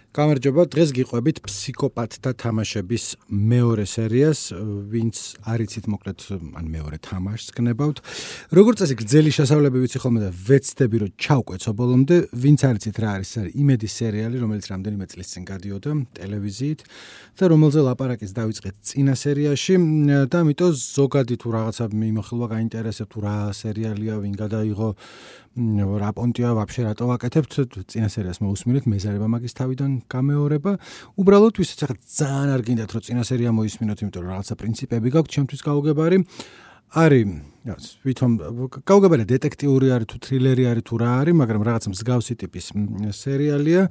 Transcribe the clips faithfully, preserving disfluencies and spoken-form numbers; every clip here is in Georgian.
გამარჯობა, დღეს გიყვებით ფსიქოპათთა თამაშების მეორე სერიას, ვინც არიცით მოკლედ, ან მეორე თამაშს გნებავთ. როგორც წესი გრძელი შესავლები ვიცი ხოლმე და ვეცდები რომ ჩავკვეცო ბოლომდე, ვინც არიცით რა არის, არის იმედის სერიალი, რომელიც რამდენიმე წლის წინ გადიოდა ტელევიზიით და რომელზე ლაპარაკიც დავიწყეთ წინა სერიაში და ამიტომ ზოგადი თუ რაღაცა მიმოხილვა გაინტერესებთ, თუ რა სერიალია, ვინ გადაიღო, რა პონტია ვაფშე რატო ვაკეთებთ, წინა სერიას მოусმინეთ, მეზარება მაგის თავიდან გამეორება. უბრალოდ ვისაც ახლა ძალიან არ გინდათ რომ წინა სერია მოისმინოთ, იმიტომ რომ რაღაცა პრინციპები გაქვთ ჩემთვის გაუგებარი. არის, ვითომ გაუგებარი დეტექტიური არის თუ თრილერი არის თუ რა არის, მაგრამ რაღაცა მსგავსი ტიპის სერიალია,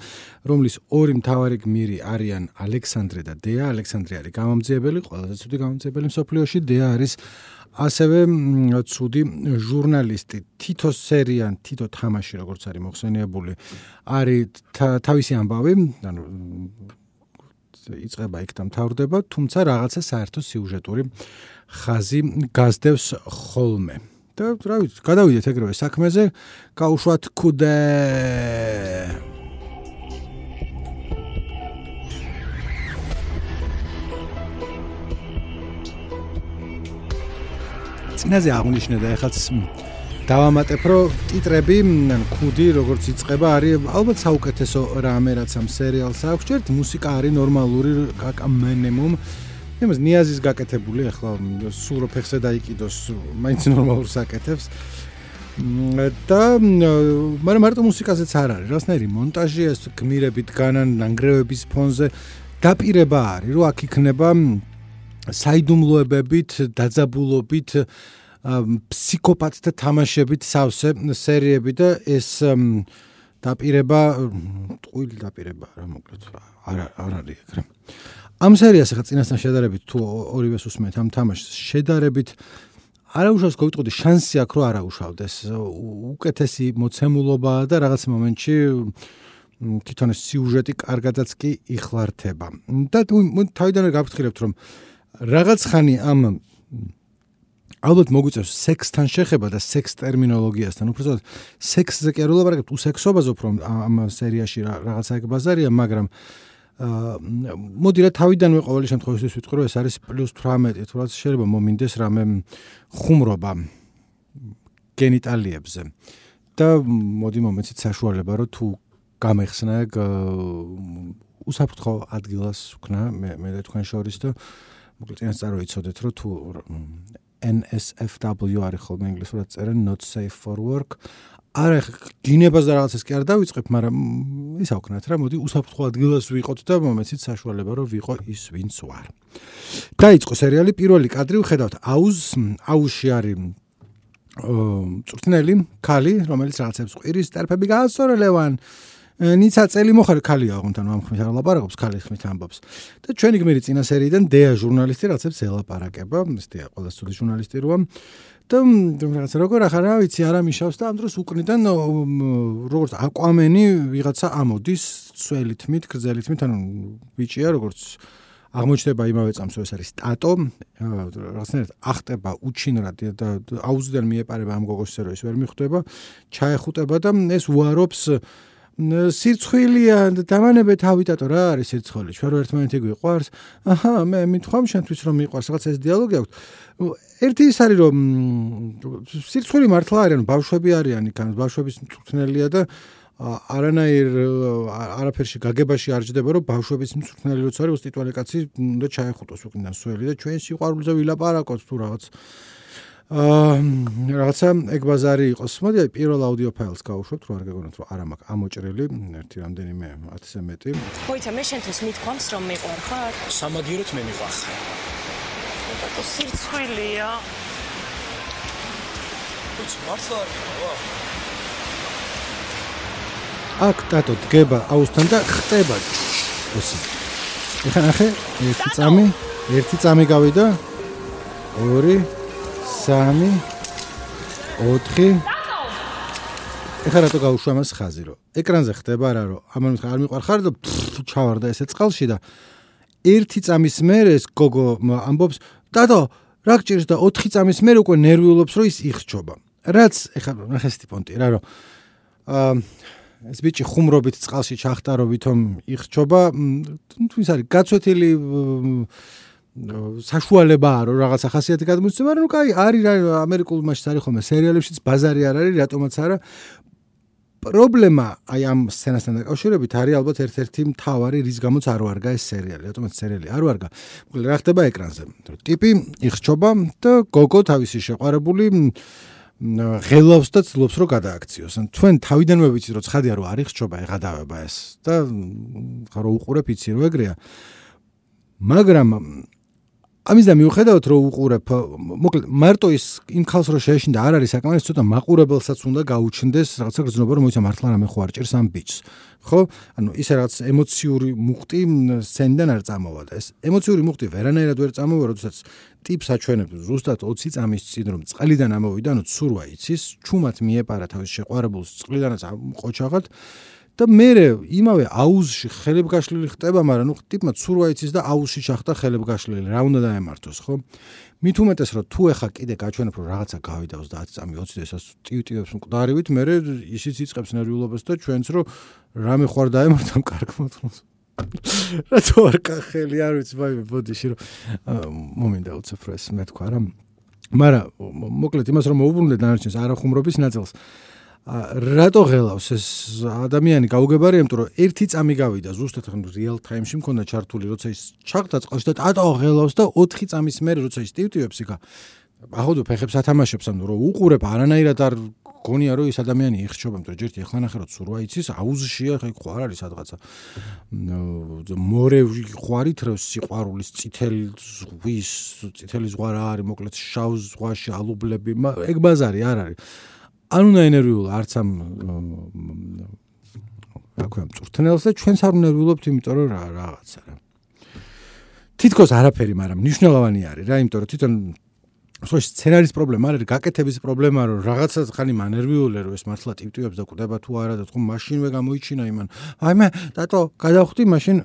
რომლის ორი მთავარი გმირი არიან ალექსანდრე და დეა. ალექსანდრე არის გამომძიებელი, ყველაზე ცუდი გამომძიებელი მსოფლიოში, დეა არის ასევე ცუდი ჟურნალისტი. თითო სერია, თითო თამაში, როგორც არის მოხსენიებული, არის თავისი ამბავი, ანუ იწყება იქ და მთავრდება, თუმცა რაღაცა საერთო სიუჟეტური ხაზი გასდევს ხოლმე. და რა ვიცი, გადავიდეთ ეგრევე საქმეზე, გაუშვათ ქუდე. წინაზე აღნიშნე და ეხლაც დავამატებ, რომ ტიტრები, ან ქუდი, როგორც იწყება, არის ალბათ საუკეთესო რამე, რაც ამ სერიალს აქვს. ჯერ მუსიკა არის ნორმალური, მინიმუმ. იმას ნიაზის გაკეთებული, ახლა სულ რო ფეხზე დაიკიდოს, მაინც ნორმალურს აკეთებს. და მაგრამ მარტო მუსიკაზეც არ არის, რასნაირი მონტაჟია, ეს გმირებით განან ნანგრევების ფონზე დაპირება არის, რომ აქ იქნება საიდუმლოებებით, დაძაბულობით, ფსიქოპათთა თამაშებით სავსე სერიები და ეს დაპირება, ტყუილი დაპირება რა მოკლედ, არ არ არის ეგრე. ამ სერიას ახლა წინასთან შედარებით თუ ორივეს უსმენთ ამ თამაშს შედარებით არაუშავს გავიტყოდი შანსი აქვს რომ არაუშავდეს. უკეთესი მოცემულობაა და რაღაც მომენტში თვითონ სიუჟეტი კარგადაც კი იხლართება. და თავიდანვე გაფრთხილებთ რომ რაღაც ხანი ამ ალბათ მოგვიწევს სექსთან შეხება და სექს ტერმინოლოგიასთან. უბრალოდ სექსზე კი არ ვლაპარაკებთ, უსექსობაზე უფრო ამ სერიაში რაღაცა ეგ ბაზარია, მაგრამ მოდი რა თავიდანვე ყოველი შემთხვევაში ვიტყვი რომ ეს არის პლუს თვრამეტი, თუ რაც შეიძლება მომინდეს რამე ხუმრობა გენიტალიებზე. და მოდი მომეცით საშუალება რომ თუ გამეხსნა ეგ უსაფრთხო ადგილას ვქნა მე მე და თქვენ შორის და მოკლედ წინას წაროიცოდეთ რომ თუ N S F W არის ხოლმე ინგლისურად წერენ not safe for work. არა გინებას და რაღაცას კი არ დავიწყებ, მაგრამ ისა ვქნათ რა, მოდი უსაფრთხო ადგილას ვიყოთ და მომეცით საშუალება რომ ვიყო ის ვინც ვარ. დაიწყო სერიალი, პირველი კადრი ვხედავთ აუზს, აუზში არის წვრთნელი ქალი, რომელიც რაღაცებს ყვირის ტერფები გაასწორელევან. ნიცა წელი მოხარ ქალია აღონთან ამ ხმით არ ლაპარაკობს, ქალი ხმით ამბობს. და ჩვენი გმირი წინა სერიიდან დეა ჟურნალისტი რაღაცებს ელაპარაკება, ეს დეა ყველა ცუდი ჟურნალისტი როა. და რაღაცა როგორ ახლა რა ვიცი, არა მიშავს და ამ დროს უკნიდან როგორც აკვამენი ვიღაცა ამოდის სველი თმით, გრძელი თმით, ანუ ბიჭია როგორც აღმოჩნდება იმავე წამს ეს არის ტატო, რაღაცნაირად ახტება უჩინრად და აუზიდან მიეპარება ამ გოგოს რომ ეს ვერ მიხვდება, ჩაეხუტება და ეს უარობს სირცხვილია და დამანებე თავი ტატო რა არის სირცხვილი, ჩვენ რო ერთმანეთი გვიყვარს, აჰა მე მithwam შენთვის რომ მიყვარს, რაღაც ეს დიალოგი აქვს. ერთი ის არის რომ სირცხვილი მართლა არის, ანუ ბავშვები არიან იქ, ანუ ბავშვების მწვრთნელია და არანაირ არაფერში გაგებაში არ ჯდება რომ ბავშვების მწვრთნელი როცა არის უსტიტველი კაცი უნდა ჩაეხუტოს უკნიდან სველი და ჩვენ სიყვარულზე ვილაპარაკოთ თუ რაღაც აა რაღაცა ეგ ბაზარი იყოს. მოდი პირველ აუდიო ფაილს გავუშვებთ, რომ არ გეგონოთ რომ არა მაქვს ამოჭრილი ერთი რამდენიმე ათზე მეტი. მოიცა მე შენთვის მithwams რომ მიყვარ ხარ? სამაგიეროდ მე მიყვარ. და სირცხვილია. უც მართლა არ მიყვარ. აქ ტატო დგება აუზთან და ხტება. ოსი. ეხლა ნახე, ერთი წამი, ერთი წამი გავიდა. ორი სამი, ოთხი. ეხლა რატო გავუშვა მას ხაზი რომ ეკრანზე ხდება რა რომ ამან არ მიყვარ ხარ და ჩავარდა ესე წყალში და ერთი წამის მერე ეს გოგო ამბობს დადო რა გჭირს და ოთხი წამის მერე უკვე ნერვიულობს რომ ის იხსჯობა. რაც ეხლა ნახე სტიპონტი რა რომ აა ეს ბიჭი ხუმრობით წყალში ჩახტარო ვითომ იხჩობა, ის არის გაცვეთილი საშუალებაა რომ რაღაცა ხასიათი გადმოსცემ, მაგრამ ნუ კაი, არის ამერიკულ მასშტაბში არის ხოლმე სერიალებშიც ბაზარი არ არის, რატომაც არა. პრობლემა აი ამ სცენასთან დაკავშირებით არის ალბათ ერთ-ერთი მთავარი, რის გამოც არ ვარგა ეს სერიალი, რატომაც სერიალი არ ვარგა. მოკლედ რა ხდება ეკრანზე? ტიპი იხჩობა და გოგო თავისი შეყვარებული ღელავს და ცდილობს რომ გადააქციოს. თქვენ თავიდანვე ვიცით რომ ცხადია რომ არ იხჩობა, ეღადავება ეს და რო უყურებ იცი რომ ეგრეა. მაგრამ ამის და მიუხედავად რომ უყურებ, მოკლედ მარტო ის იმ ხალხს რო შეეშინდა არ არის საკმარის ცოტა მაყურებელსაც უნდა გაუჩნდეს რაღაცა გრძნობა რომ მოიცა მართლა რამე ხო არ ჭირს ამ ბიჭს. ხო? ანუ ის რაღაც ემოციური მუხტი სცენიდან არ წამოვა და ეს ემოციური მუხტი ვერანაირად ვერ წამოვა, როდესაც ტიპს აჩვენებს ზუსტად ოცი წამის წინ რომ წყლიდან ამოვიდა, ანუ ცურვა იცის, ჩუმად მიეპარა თავის შეყვარებულს წყლიდანაც ყოჩაღად და მე იმავე აუზში ხელებგაშლილი ხტება, მაგრამ ნუ ტიპმა ცურვა იცის და აუზში ჩახტა ხელებგაშლილი, რა უნდა დაემართოს, ხო? მით უმეტეს რომ თუ ეხა კიდე გაჩვენებ რომ რაღაცა გავიდა ოცდაათი წამი ოცი და ესაც ტივტივებს მკვდარივით, მე ისიც იწყებს ნერვიულობას და ჩვენც რომ რამე ხوار დაემართამ კარგ მოთხრობს. რატო არ კახელი არ ვიცი, ვაიმე, ბოდიში რომ მომინდა უცებ რომ ეს მე თქვა რა. მაგრამ მოკლედ იმას რომ მოუბრუნდე დანარჩენს არახუმრობის ნაწილს. რატო ღელავს ეს ადამიანი გაუგებარია, იმიტომ რომ ერთი წამი გავიდა ზუსტად real time-ში მქონდა ჩართული, როცა ის ჩახტა წყალში და ატო ღელავს და ოთხი წამის მერე როცა ის ტივტივებს იქა. ახოდო ფეხებს ათამაშებს, ანუ რომ უყურებ არანაირად არ გონია რომ ის ადამიანი იხჩობა, იმიტომ რომ ჯერტი ახლა ნახე რომ ცურვა იცის, აუზშია, ხა იქ ხო არ არის სადღაცა. მორე ხვარით რომ სიყვარულის წითელი ზღვის, წითელი ზღვა რა არის, მოკლედ შავ ზღვაში ალუბლები, ეგ ბაზარი არ არის. არ უნდა ენერვიულა არც ამ რა ქვია მწვრთნელს და ჩვენც არ უნერვიულობთ, იმიტომ რომ რა რაღაცა რა. თითქოს არაფერი, მაგრამ მნიშვნელოვანი არის რა, იმიტომ რომ თვითონ ხო სცენარის პრობლემა არ არის, გაკეთების პრობლემა რომ რაღაცა ხანი მანერვიულე რომ ეს მართლა ტივტივებს და კვდება თუ არა და თქო მაშინვე გამოიჩინა იმან. აი მე დატო გადავხვდი მაშინ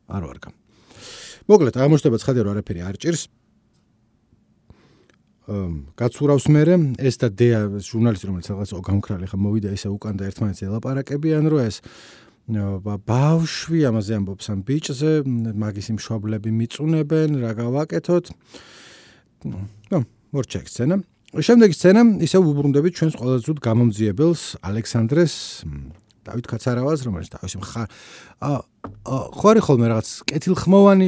არ ვარგა. მოკლედ აღმოჩნდება ცხადია რომ არაფერი არ ჭირს. გაცურავს მერე ეს და დეა ჟურნალისტი რომელიც რაღაც გამქრალი ხა მოვიდა ისე უკან და ერთმანეთს ელაპარაკებიან რომ ეს ბავშვი ამაზე ამბობს ამ ბიჭზე, მაგის იმშობლები მიწუნებენ, რა გავაკეთოთ. ნუ მორჩა სცენა. შემდეგი სცენა ისე უბრუნდებით ჩვენს ყველაზე ძვირ გამომძიებელს ალექსანდრეს დავით კაცარავას, რომელიც თავისი მხარ ხო არის ხოლმე რაღაც კეთილხმოვანი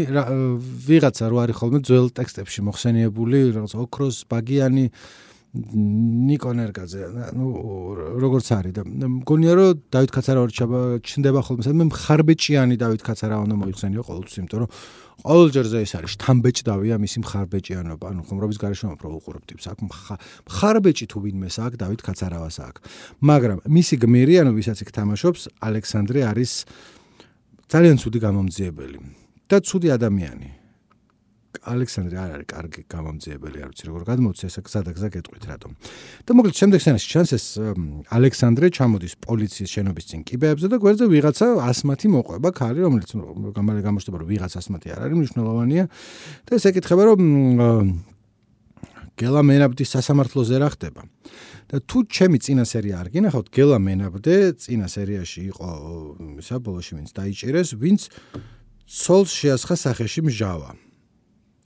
ვიღაცა რო არის ხოლმე ძველ ტექსტებში მოხსენიებული, რაღაც ოქროს ბაგიანი ნიკონ ერგაძე, ნუ როგორც არის და მგონია რომ დავით კაცარავა ჩნდება ხოლმე სადმე მხარბეჭიანი დავით კაცარავა უნდა მოიხსენიო ყოველთვის, იმიტომ რომ ყოველჯერზე ეს არის შთამბეჭდავია მისი მხარბეჭიანობა, ანუ ხუმრობის გარეშე უფრო უყურებ ტიპს აქ მხარბეჭი თუ ვინმეს აქ დავით კაცარავას აქ. მაგრამ მისი გმირი, ანუ ვისაც იქ თამაშობს, ალექსანდრე არის ძალიან ცუდი გამომძიებელი და ცუდი ადამიანი. ალექსანდრე არ არის კარგი გამომძიებელი, არ ვიცი როგორ გადმოვცე, ესა გზა და გზა გეტყვით რატომ. და მოკლედ შემდეგ სცენაში ჩანს ეს ალექსანდრე ჩამოდის პოლიციის შენობის წინ კიბეებზე და გვერდზე ვიღაცა ასმათი მოყვება ქალი, რომელიც გამალე გამოჩნდება რომ ვიღაც ასმათი არ არის, მნიშვნელოვანია და ეს ეკითხება რომ გელა მენაბდის სასამართლოზე რა ხდება. და თუ ჩემი წინა სერია არ გინახავთ, გელა მენაბდე წინა სერიაში იყო ისა ბოლოში ვინც დაიჭირეს, ვინც ცოლს შეასხა სახეში მჟავა.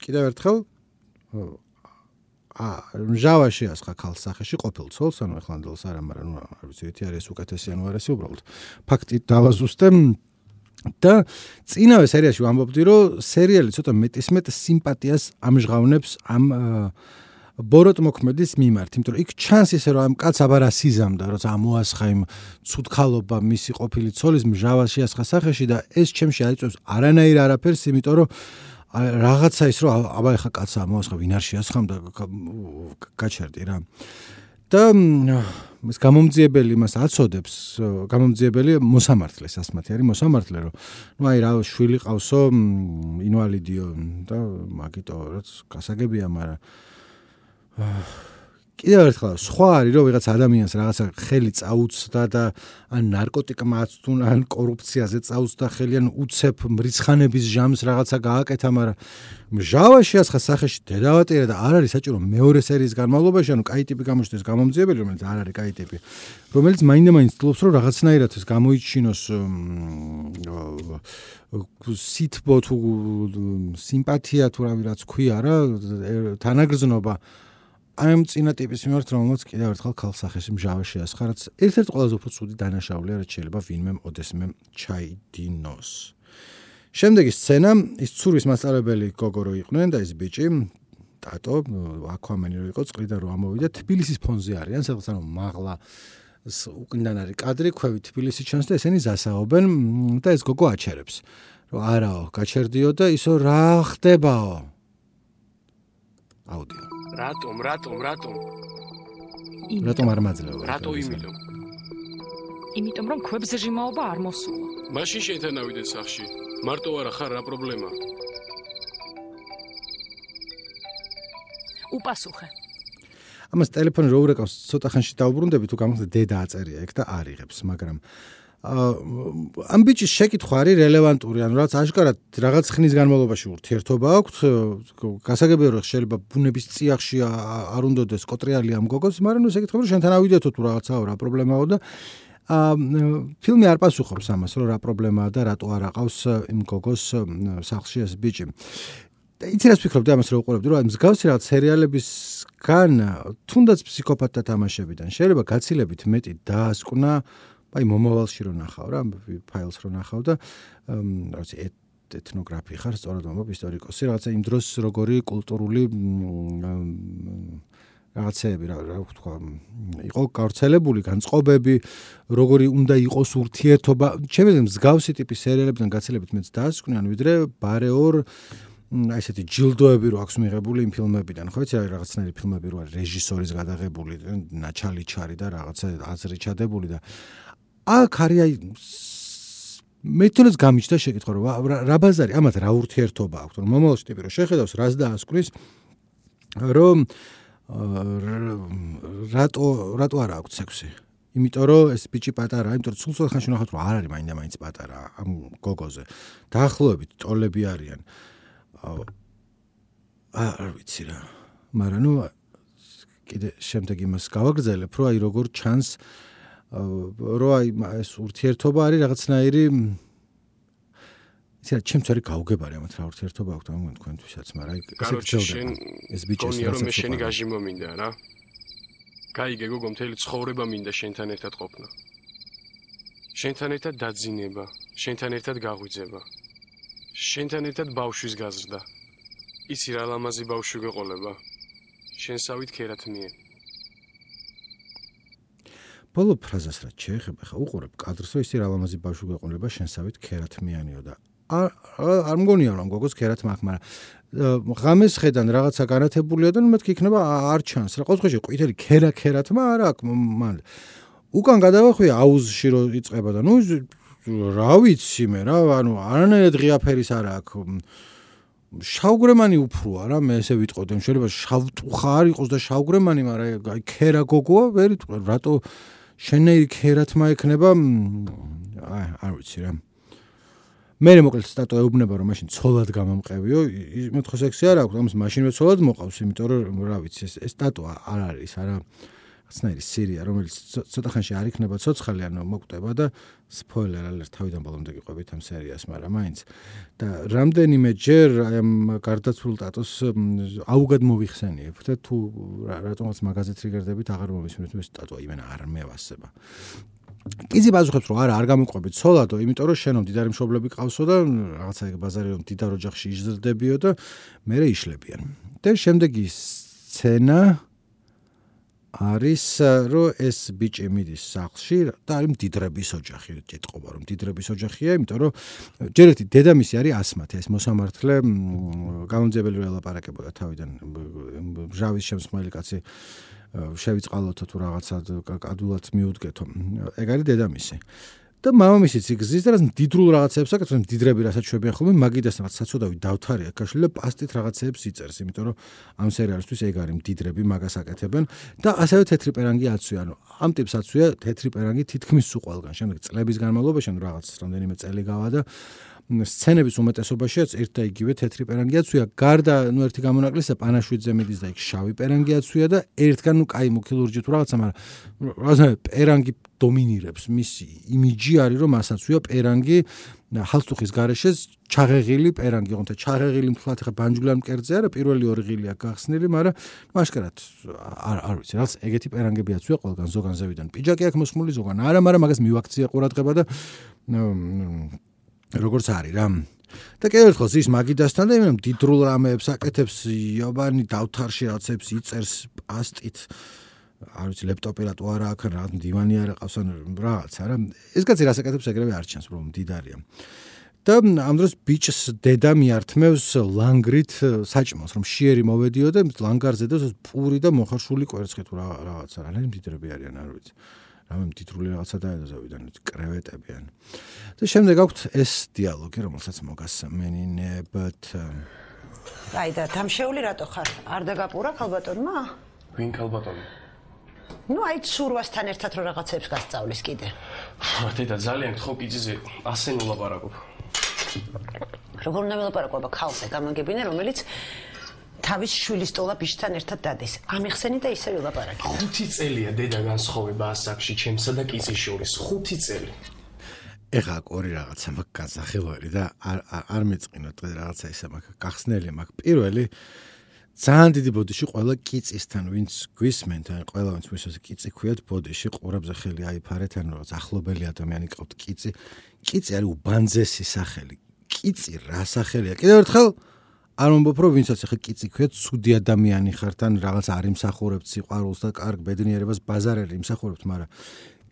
კიდევ ერთხელ აა მჟავა შეასხა ქალს სახეში ყოფილ ცოლს, ანუ ახლანდელს არა, მაგრამ ნუ არ ვიცი, ერთი არის უკეთესი ანუ არ არის უბრალოდ. ფაქტი დავაზუსტე და წინავე სერიაში ვამბობდი, რომ სერიალი ცოტა მეტისმეტ სიმპათიას ამჟღავნებს ამ ბოროტ მოქმედის მიმართ, იმიტომ რომ იქ ჩანს ისე რომ ამ კაც აბა რა სიზამდა, როცა ამოასხა იმ ცუდქალობა მისი ყოფილი ცოლის მჟავა შეასხა სახეში და ეს ჩემში აიწევს არანაირ არაფერს, იმიტომ რომ რაღაცა ის რომ აბა ეხა კაცს ამოასხა, ვინ არ შეასხამდა გაჩერდი რა. და ეს გამომძიებელი იმას აცოდებს, გამომძიებელი მოსამართლეს, ასმათი არის მოსამართლე, რომ ნუ აი რა შვილი ყავსო, ინვალიდიო და მაგიტო რაც გასაგებია, მაგრამ კიდევ ერთხელ სხვა არის რომ ვიღაც ადამიანს რაღაცა ხელი წაუცდა და ან ნარკოტიკმა აწვდუნ ან კორუფციაზე წაუცდა ხელი ან უცებ მრიცხანების ჟამს რაღაცა გააკეთა, მაგრამ მჟავაში ასხა სახეში დედავატირა და არ არის საჭირო მეორე სერიის განმავლობაში, ანუ კაი ტიპი გამოჩნდეს გამომძიებელი, რომელიც არ არის კაი ტიპი, რომელიც მაინდა-მაინც ცდილობს რომ რაღაცნაირად ეს გამოიჩინოს სითბო თუ სიმპათია თუ რავი რაც ქვია რა, თანაგრძნობა აი ამ წინა ტიპის მიმართ, რომელმაც კიდევ ერთხელ ქალ სახეში მჟავაში ასხა, რაც ერთ-ერთი ყველაზე უფრო ცუდი დანაშაულია, რაც შეიძლება ვინმე ოდესმე ჩაიდინოს. შემდეგი სცენა, ის ცურვის მასწავლებელი გოგო რო იყვნენ და ეს ბიჭი, ტატო, აკვამენი რო იყო, წყლიდან რო ამოვიდა, თბილისის ფონზე არიან, სადაც ანუ მაღლა უკნიდან არის კადრი, ქვევით თბილისი ჩანს და ესენი ზასაობენ და ეს გოგო აჩერებს. რომ არაო, გაჩერდიო და ისო რა ხდებაო? აუდიო. რატომ, რატომ, რატომ? რატომ არ მაძლევ? რატო იმიტომ? იმიტომ რომ ქვებს ჟიმაობა არ მოსულა. მაშინ შენთან ავიდეთ სახში. მარტო არა ხარ რა პრობლემა? უპასუხე. ამას ტელეფონი რო ურეკავს, ცოტა ხანში დაუბრუნდები თუ გამახსენე დედა აწერია იქ და არიღებს, მაგრამ ამ ბიჭის შეკითხვა არის რელევანტური, ანუ რაც აშკარად რაღაც ხნის განმავლობაში ურთიერთობა აქვს, გასაგებია რომ შეიძლება ბუნების წიაღში არ უნდადეს კოტრიალი ამ გოგოს, მაგრამ ეს ეკითხება რომ შენთან ავიდეთო თუ რაღაცაო რა პრობლემაო და ფილმი არ პასუხობს ამას, რომ რა პრობლემაა და რატო არ აყავს იმ გოგოს სახლში ეს ბიჭი. და იცი რას ვფიქრობდი ამას რო უყურებდი, რომ მსგავსი რაღაც სერიალებისგან თუნდაც ფსიქოპატთა თამაშებიდან შეიძლება გაცილებით მეტი დაასკვნა აი მომავალში რო ნახავ რა, ფაილს რო ნახავ და რაღაცა ეთნოგრაფი ხარ, სწორად მომობ ისტორიკოსი, რაღაცა იმ დროს როგორი კულტურული რაღაცეები რა ვთქვა, იყო გავრცელებული განწყობები, როგორი უნდა იყოს ურთიერთობა. ჩემს მსგავსი ტიპის სერიალებიდან გაცილებით მეც დაასკვნიან, ვიდრე ბარეორ აი ესეთი ჯილდოები რო აქვს მიღებული იმ ფილმებიდან, ხო იცი რაღაცნაირი ფილმები რო არის რეჟისორის გადაღებული, ნაჩალიჩარი და რაღაცა აზრი ჩადებული და აქ არის აი მე თვითონაც გამიჩნდა შეკითხვა რომ რა ბაზარი, ამათ რა ურთიერთობა აქვს, რომ მომავალში ტიპი რო შეხედავს, რას დაასკვნის, რომ რატო რატო არ აქვს სექსი? იმიტომ რომ ეს ბიჭი პატარაა, იმიტომ რომ სულ ცოტა ხანში ვნახავთ რომ არ არის მაინდა-მაინც პატარა ამ გოგოზე. დაახლოებით ტოლები არიან. არ ვიცი რა. მაგრამ ნუ კიდე შემდეგ იმას გავაგრძელებ, რომ აი როგორ ჩანს რომ აი ეს ურთიერთობა არის რაღაცნაირი ისე ჩემს არის გაუგებარი ამათ რა ურთიერთობა აქვს ამ თქვენთვისაც, მაგრამ აი ესე გრძელდება ეს ბიჭი ეს რომ მე შენი გაჟიმო მინდა რა. გაიგე გოგო, მთელი ცხოვრება მინდა შენთან ერთად ყოფნა. შენთან ერთად დაძინება, შენთან ერთად გაღვიძება. შენთან ერთად ბავშვის გაზრდა. იცი რა ლამაზი ბავშვი გეყოლება. შენსავით ქერათმიე. ბოლო ფრაზას რაც შეეხება, ხა უყურებ კადრს, რომ ისი რა ლამაზი ბავშვი გეყოლება, შენსავით ქერათმიანიო და არ არ მგონია რომ გოგოს ქერათმა აქვს, მაგრამ ღამეს ხედან რაღაცა განათებულია და მეთქი იქნება არ ჩანს. რა ყოველთვის ყვითელი ქერა ქერათმა არ აქვს მან. უკან გადავახვია აუზში რო იწება და ნუ რა ვიცი მე რა, ანუ არანაირად ღია ფერის არ აქვს. შავგრემანი უფროა რა, მე ესე ვიტყოდი, შეიძლება შავტუხა არ იყოს და შავგრემანი, მაგრამ აი ქერა გოგოა, ვერ იტყვი, რატო შენეი ქერათმა ექნება, აი არ ვიცი რა. მე მოკლედ სტატო ეუბნება რომ მაშინ ცოლად გამამყევიო, მე თქო სექსი არ აქვს, ამას მაშინვე ცოლად მოყავს, იმიტომ რომ რა ვიცი, ეს ეს სტატო არ არის, არა რაღაცნაირი სირია, რომელიც ცოტა ხანში არ იქნება ცოცხალი, ანუ მოკვდება და სპოილერ ალერტ თავიდან ბოლომდე გიყვებით ამ სერიას, მაგრამ მაინც და რამდენიმე ჯერ ამ გარდაცვლილ ტატოს აუგად მოვიხსენიებ და თუ რატომაც მაგაზეთ რიგერდებით აღარ მომისმენთ ეს სტატო იმენა არ მევასება. კიზი პასუხებს რომ არა არ გამოყვებით ცოლადო, იმიტომ რომ შენო მდიდარი მშობლები ყავსო და რაღაცა ბაზარი რომ მდიდარ ოჯახში იზრდებიო და მერე იშლებიან. და შემდეგი სცენა არის რომ ეს ბიჭი მიდის სახლში და არის მდიდრების ოჯახი, ჭიტყობა რომ მდიდრების ოჯახია, იმიტომ რომ ჯერ ერთი დედამისი არის ასმათი, ეს მოსამართლე გამომძიებელი რო ელაპარაკებოდა თავიდან მჟავის შემსმელი კაცი შევიწყალოთო თუ რაღაცა ადულად მიუდგეთო. ეგ არის დედამისი. და მამამისიც იგზის და რაც მდიდრულ რაღაცებს აკეთებს, მდიდრები რასაც შვებიან ხოლმე, მაგიდასთან რაც საცოდავი დავთარია გაშლილი და პასტით რაღაცებს იწერს, იმიტომ რომ ამ სერიალისთვის ეგ არის მდიდრები მაგას აკეთებენ და ასევე თეთრი პერანგი აცვია, ანუ ამ ტიპს აცვია თეთრი პერანგი თითქმის სულ ყველგან. შემდეგ წლების განმავლობაში ანუ რაღაც რამდენიმე წელი გავა და სცენების უმეტესობაშიც ერთ და იგივე თეთრი პერანგი აცვია. გარდა ნუ ერთი გამონაკლისია პანაშვიდზე მიდის და იქ შავი პერანგი აცვია და ერთგან ნუ კაი მუქილურჯი თუ რაღაცა, მაგრამ რაღაცა პერანგი დომინირებს. მისი იმიჯი არის რომ მას აცვია პერანგი ჰალსტუხის გარეშე ჩაღეღილი პერანგი, თუმცა ჩაღეღილი მთლად ხა ბანჯგვლიან მკერდზე არა, პირველი ორი ღილი აქვს გახსნილი, მაგრამ მაშკარად არ არ ვიცი, რაღაც ეგეთი პერანგები აცვია ყველგან ზოგან ზევიდან. პიჯაკი აქვს მოსმული ზოგან არა, მაგრამ მაგას მივაქცია ყურადღება და როგორც არის რა. და კიდევ ერთხელ ის მაგიდასთან და იმენ მდიდრულ რამეებს აკეთებს, იობანი დავთარში რაღაცებს იწერს პასტით. არ ვიცი ლეპტოპი რატო არა აქ რა დივანი არა ყავს ან რაღაც არა. ეს კაცი რას აკეთებს ეგრევე არ ჩანს, რომ მდიდარია. და ამ დროს ბიჭს დედა მიართმევს ლანგრით საჭმელს, რომ შიერი მოვედიო და ლანგარზე და პური და მოხარშული კვერცხი თუ რაღაცა რა, მდიდრები არიან, არ ვიცი. რამე მდიდრული რაღაცა დაედოზავიდან კრევეტებიან. და შემდეგ აქვთ ეს დიალოგი, რომელსაც მოგასმენინებთ. აი და თამშეული რატო ხარ? არ დაგაპურა ქალბატონმა? ვინ ქალბატონი? ნუ აი ცურვასთან ერთად რო რაღაცებს გასწავლის კიდე. დედა ძალიან გთხოვ პიძიზე ასე ნულაპარაკობ. როგორ უნდა ველაპარაკობა ქალზე გამაგებინე, რომელიც თავის შვილის ტოლა ბიჭთან ერთად დადის. ამიხსენი და ისე ველაპარაკე. ხუთი წელია დედა განსხვავება ასაკში ჩემსა და კიცის შორის. ხუთი წელი. ეხა ორი რაღაცა მაქვს გასახელველი და არ არ მეწყინო დღეს რაღაცა ისე მაქვს გახსნელი მაქვს. პირველი ძალიან დიდი ბოდიში ყველა კიცისთან ვინც გვისმენთ, ან ყველა ვინც მისოს კიცი ქვიათ ბოდიში ყურებზე ხელი აიფარეთ, ან რაღაც ახლობელი ადამიანი ყავთ კიცი. კიცი არის უბანძესი სახელი. კიცი რა სახელია? კიდევ ერთხელ არ მომბობ რომ ვინცაც ახლა კიცი ქვიათ ცუდი ადამიანი ხართ, ან რაღაც არ იმსახურებთ სიყვარულს და კარგ ბედნიერებას ბაზარელი იმსახურებთ, მაგრამ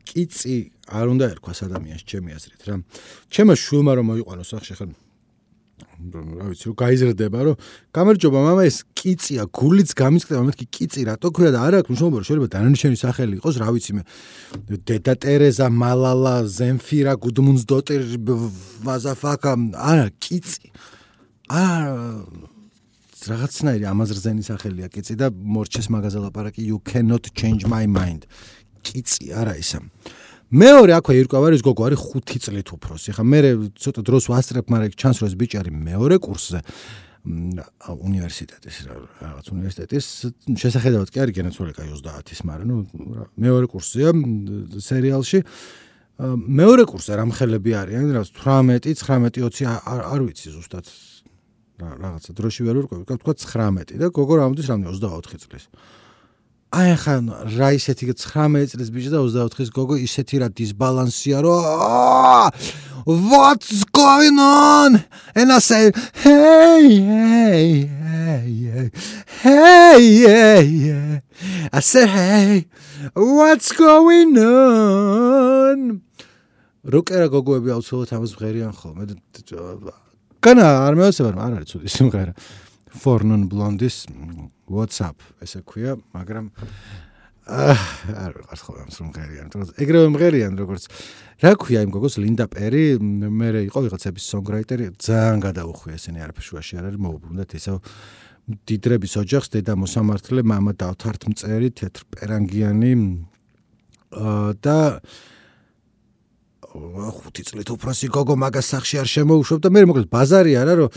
კიცი არ უნდა ერქვას ადამიანს ჩემი აზრით რა. ჩემო შვილმა რომ მოიყვანოს სახში ხან რა ვიცი რომ გაიზრდება რომ გამარჯობა მამა ეს კიცია გულიც გამიწყდება მეთქი კიცი რატო ქვია და არა აქვს მნიშვნელობა რომ შეიძლება დანარჩენი სახელი იყოს რა ვიცი მე დედა ტერეზა მალალა ზემფირა გუდმუნსდოტერ ვაზაფაკა არა კიცი არა რაღაცნაირი ამაზრზენი სახელია კიცი და მორჩეს მაგაზე ლაპარაკი you cannot change my mind კიცი არა ისა მეორე აქვე ირკვევარის გოგო არის ხუთი წლით უფროსი. ხა მე ცოტა დროს ვასწრებ, მაგრამ ჩანს რომ ეს ბიჭი არის მეორე კურსზე უნივერსიტეტის რაღაც უნივერსიტეტის შესახედავად კი არის გენაცვლილი კაი ოცდაათის, მაგრამ ნუ მეორე კურსზეა სერიალში. მეორე კურსზე რამხელები არიან, რაღაც თვრამეტი, ცხრამეტი, ოცი არ ვიცი ზუსტად რაღაცა დროში ვერ ვირკვევი, თქვა ცხრამეტი და გოგო რამოდის რამდენი ოცდაოთხი წლის. აი ხა რა ისეთი ცხრამეტი წლის ბიჭი და ოცდაოთხის გოგო ისეთი რა დისბალანსია რომ what's going on and I say hey hey hey hey hey I say hey what's going on როკერა გოგოები აუცილებლად ამას ვღერიან ხოლმე განა არ მეოცება არ არის ცუდი სიმღერა For non blondes WhatsApp ესე ქვია, მაგრამ არ ვიყავს ხოლმე ამ სიმღერიან, თორე ეგრევე მღერიან როგორც რა ქვია იმ გოგოს ლინდა პერი, მე იყო ვიღაცების songwriter-ი, ძალიან გადაუხვია ესენი არაფერ შუაში არ არის მოუბრუნდათ ისევ დიდრების ოჯახს, დედა მოსამართლე, მამა დავთართ მწერი, თეთრ პერანგიანი და ხუთი წლით უფროსი გოგო მაგას სახში არ შემოუშვებდა, მე მოკლედ ბაზარი არა რომ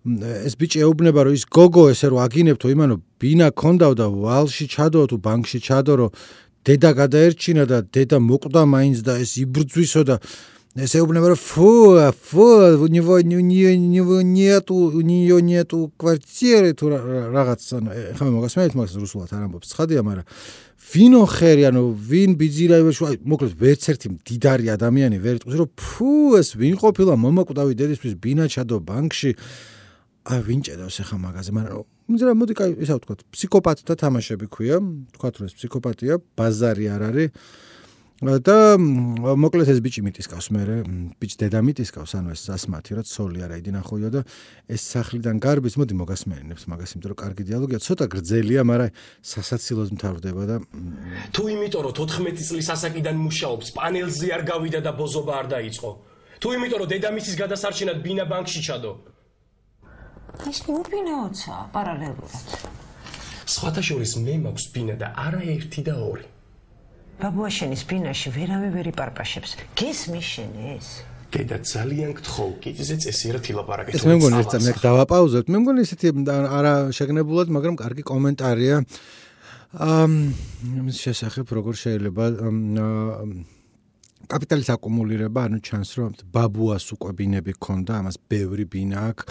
ეს ბიჭი ეუბნება რომ ის გოგო ესე რომ აგინებთო იმანო ბინა ქონდაო და ვალში ჩადო თუ ბანკში ჩადო რომ დედა გადაერჩინა და დედა მოკვდა მაინც და ეს იბრძვისო და ეს ეუბნება რომ фу фу у него у него нету у нее нету квартиры თუ რაღაცა ხომ მოგასმენთ მაგას რუსულად არ ამბობს ცხადია მაგრამ ვინო ხერი ანუ ვინ ბიძირაიბაშო მოკლედ ვერც ერთი მდიდარი ადამიანი ვერ იტყვის რომ фу ეს ვინ ყოფილა მომაკვდავი დედისთვის ბინა ჩადო ბანკში აი ვინ ჭედავს ახლა მაგაზე მაგრამ მიზრა მოდი კაი ისა ვთქვათ ფსიქოპატთა თამაშები ქვია ვთქვათ რომ ეს ფსიქოპატია ბაზარი არ არის და მოკლედ ეს ბიჭი მიტისკავს მე ბიჭი დედა მიტისკავს ანუ ეს ასმათი რა ცოლი არა იდი ნახოიო და ეს სახლიდან გარბის მოდი მოგასმენინებს მაგას იმიტომ რომ კარგი დიალოგია ცოტა გრძელია მაგრამ სასაცილოდ მთავრდება და თუ იმიტომ რომ თოთხმეტი წლის ასაკიდან მუშაობს პანელზე არ გავიდა და ბოზობა არ დაიწყო თუ იმიტომ რომ დედამისის გადასარჩენად ბინა ბანკში ჩადო ის მუბინაოცა პარალელურად სხვათა შორის მე მაქვს ბინა და არა ერთი და ორი ბაბუაშენის ბინაში ვერავე ვერ იპარპაშებს. გესმის შენ ეს? დედა ძალიან გთხოვ, კიდეზე წესიერად ილაპარაკეთ. ეს მე მგონი ერთ წამს დავაპაუზოთ. მე მგონი ისეთი არა შეგნებულად, მაგრამ კარგი კომენტარია. ამ იმის შესახებ როგორ შეიძლება კაპიტალის აკუმულირება, ანუ ჩანს რომ ბაბუას უკვე ბინები ქონდა, ამას ბევრი ბინა აქვს.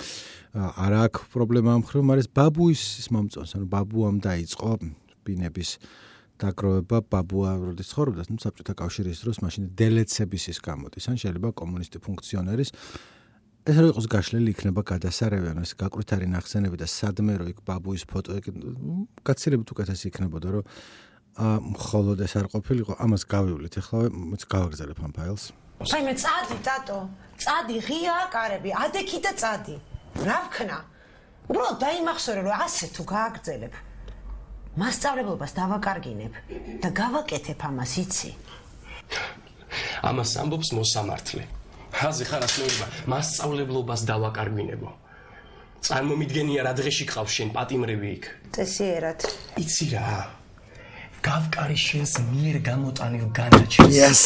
არა აქვს პრობლემა ამ ხრივ, მაგრამ ბაბუის მომწონს, ანუ ბაბუამ დაიწყო ბინების დაგროვება ბაბუა როდის ცხოვრობდა, ну საბჭოთა კავშირის დროს მაშინ დელეცების ის გამოდის, ან შეიძლება კომუნისტი ფუნქციონერის ეს რო იყოს გაშლილი იქნება გადასარევი, ანუ ეს გაკვრითარი ნახსენები და სადმე რო იქ ბაბუის ფოტო იქ გაცილებით უკეთესი იქნებოდა, რომ მხოლოდ ეს არ ყოფილიყო, ამას გავივლით ახლა, მოც გავაგრძელებ ამ ფაილს. აი მე წადი, ტატო, წადი ღია კარები, ადექი და წადი. რა ვქნა? უბრალოდ დაიმახსოვრე, რომ ასე თუ გააგრძელებ მასწავლებლობას დავაკარგინებ და გავაკეთებ ამას იცი. ამას ამბობს მოსამართლე. ხაზე ხარ ასმეულობა, მასწავლებლობას დავაკარგინებო. წარმომიდგენია რა დღეში გყავს შენ პატიმრები იქ. წესიერად. იცი რა. გავკარი შენს მიერ გამოტანილ განაჩენს. Yes.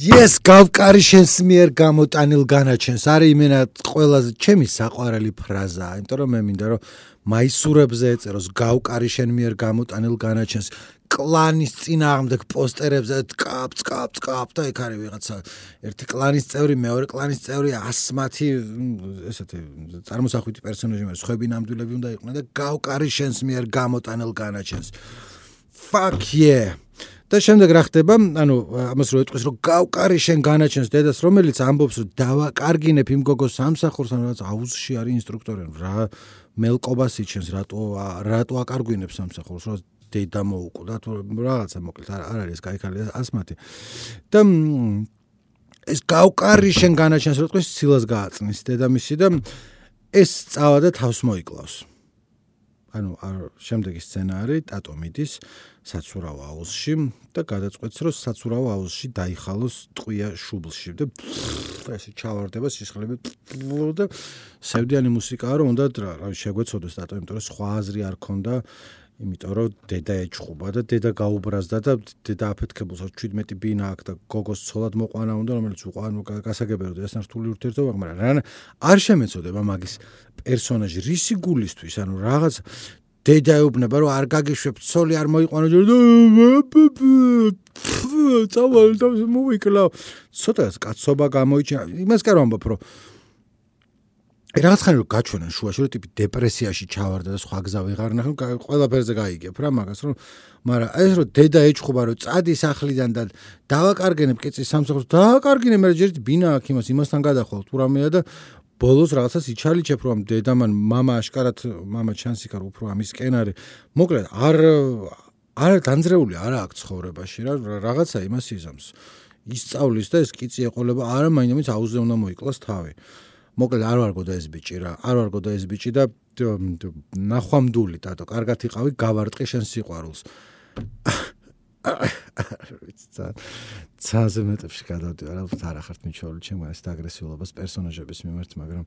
Yes, გავკარი შენს მიერ გამოტანილ განაჩენს. არის იმენა ყველაზე ჩემი საყვარელი ფრაზაა, იმიტომ რომ მე მინდა რომ მაისურებზე ეწეროს გავკარი შენ მიერ გამოტანილ განაჩენს კლანის წინააღმდეგ პოსტერებზე ткап ткап ткап და იქ არის ვიღაცა ერთი კლანის წევრი მეორე კლანის წევრი ასმათი ესეთი წარმოსახვითი პერსონაჟი მაგრამ სხვები ნამდვილები უნდა იყვნენ და გავკარი შენს მიერ გამოტანილ განაჩენს fuck yeah და შემდეგ რა ხდება ანუ ამას რო ეტყვის რომ გავკარი შენ განაჩენს დედას რომელიც ამბობს რომ დავაკარგინებ იმ გოგოს სამსახურს ანუ რაღაც აუზში არის ინსტრუქტორი რა მელკობას იჩენს რატო რატო აკარგვინებს სამსახურს რომ დედა მოუკვდა თუ რაღაცა მოკლედ არ არის кайქალია ასმათი და ეს გავკარი შენ განაჩენს რომ თქვენ სილას გააწნის დედამისი და ეს წავა და თავს მოიკლავს ანუ შემდეგი სცენა არის ტატო მიდის საცურავ აუზში და გადაწყვეტს რომ საცურავ აუზში დაიხალოს ტყვია შუბლში და ესე ჩავარდება სისხლები და სევდიანი მუსიკაა რომ უნდა რა შეგვეცოდეს ტატო იმიტომ რომ სხვა აზრი არ ქონდა იმიტომ რომ დედა ეჭხუბა და დედა გაუბრაზდა და დედა აფეთქებულს ჩვიდმეტი ბინა აქვს და გოგოს ცოლად მოყვანა უნდა რომელიც უყვან გასაგებია რომ ეს ნართული ურთიერთობა მაგრამ რა არ შემეცოდება მაგის პერსონაჟი რისი გულისთვის ანუ რაღაც დედა ეუბნება რომ არ გაგიშვებ ცოლი არ მოიყვანო წავალ და მოვიკლავ ცოტა კაცობა გამოიჩინა იმას კი არ ვამბობ რომ რაღაც ხანი რომ გაჩვენენ შუაში რომ ტიპი დეპრესიაში ჩავარდა და სხვა გზა ვეღარ ნახე ყველაფერზე გაიგებ რა მაგას რომ მაგრამ ეს რომ დედა ეჭხობა რომ წადი სახლიდან და დავაკარგენებ კეცის სამსახურს დავაკარგინე მე ჯერ ბინა აქვს იმას იმასთან გადახვალ თუ რამეა და ბოლოს რაღაცას იჩალიჩებ რომ დედამან მამა აშკარად მამა ჩანს იქ რომ უფრო ამისკენ არის მოკლედ არ არ განძრეული არა აქვს ცხოვრებაში რა რაღაცა იმას იზამს ისწავლის და ეს კიცი ეყოლება არა მაინც აუზზე უნდა მოიკლას თავი მოკლედ არ ვარგო და ეს ბიჭი რა არ ვარგო და ეს ბიჭი და ნახვამდული ტატო კარგად იყავი გავარტყი შენ სიყვარულს ცაზე მეტებში გადავდი არა არ ახართ მიჩვეული ჩემ ეს აგრესიულობას პერსონაჟების მიმართ მაგრამ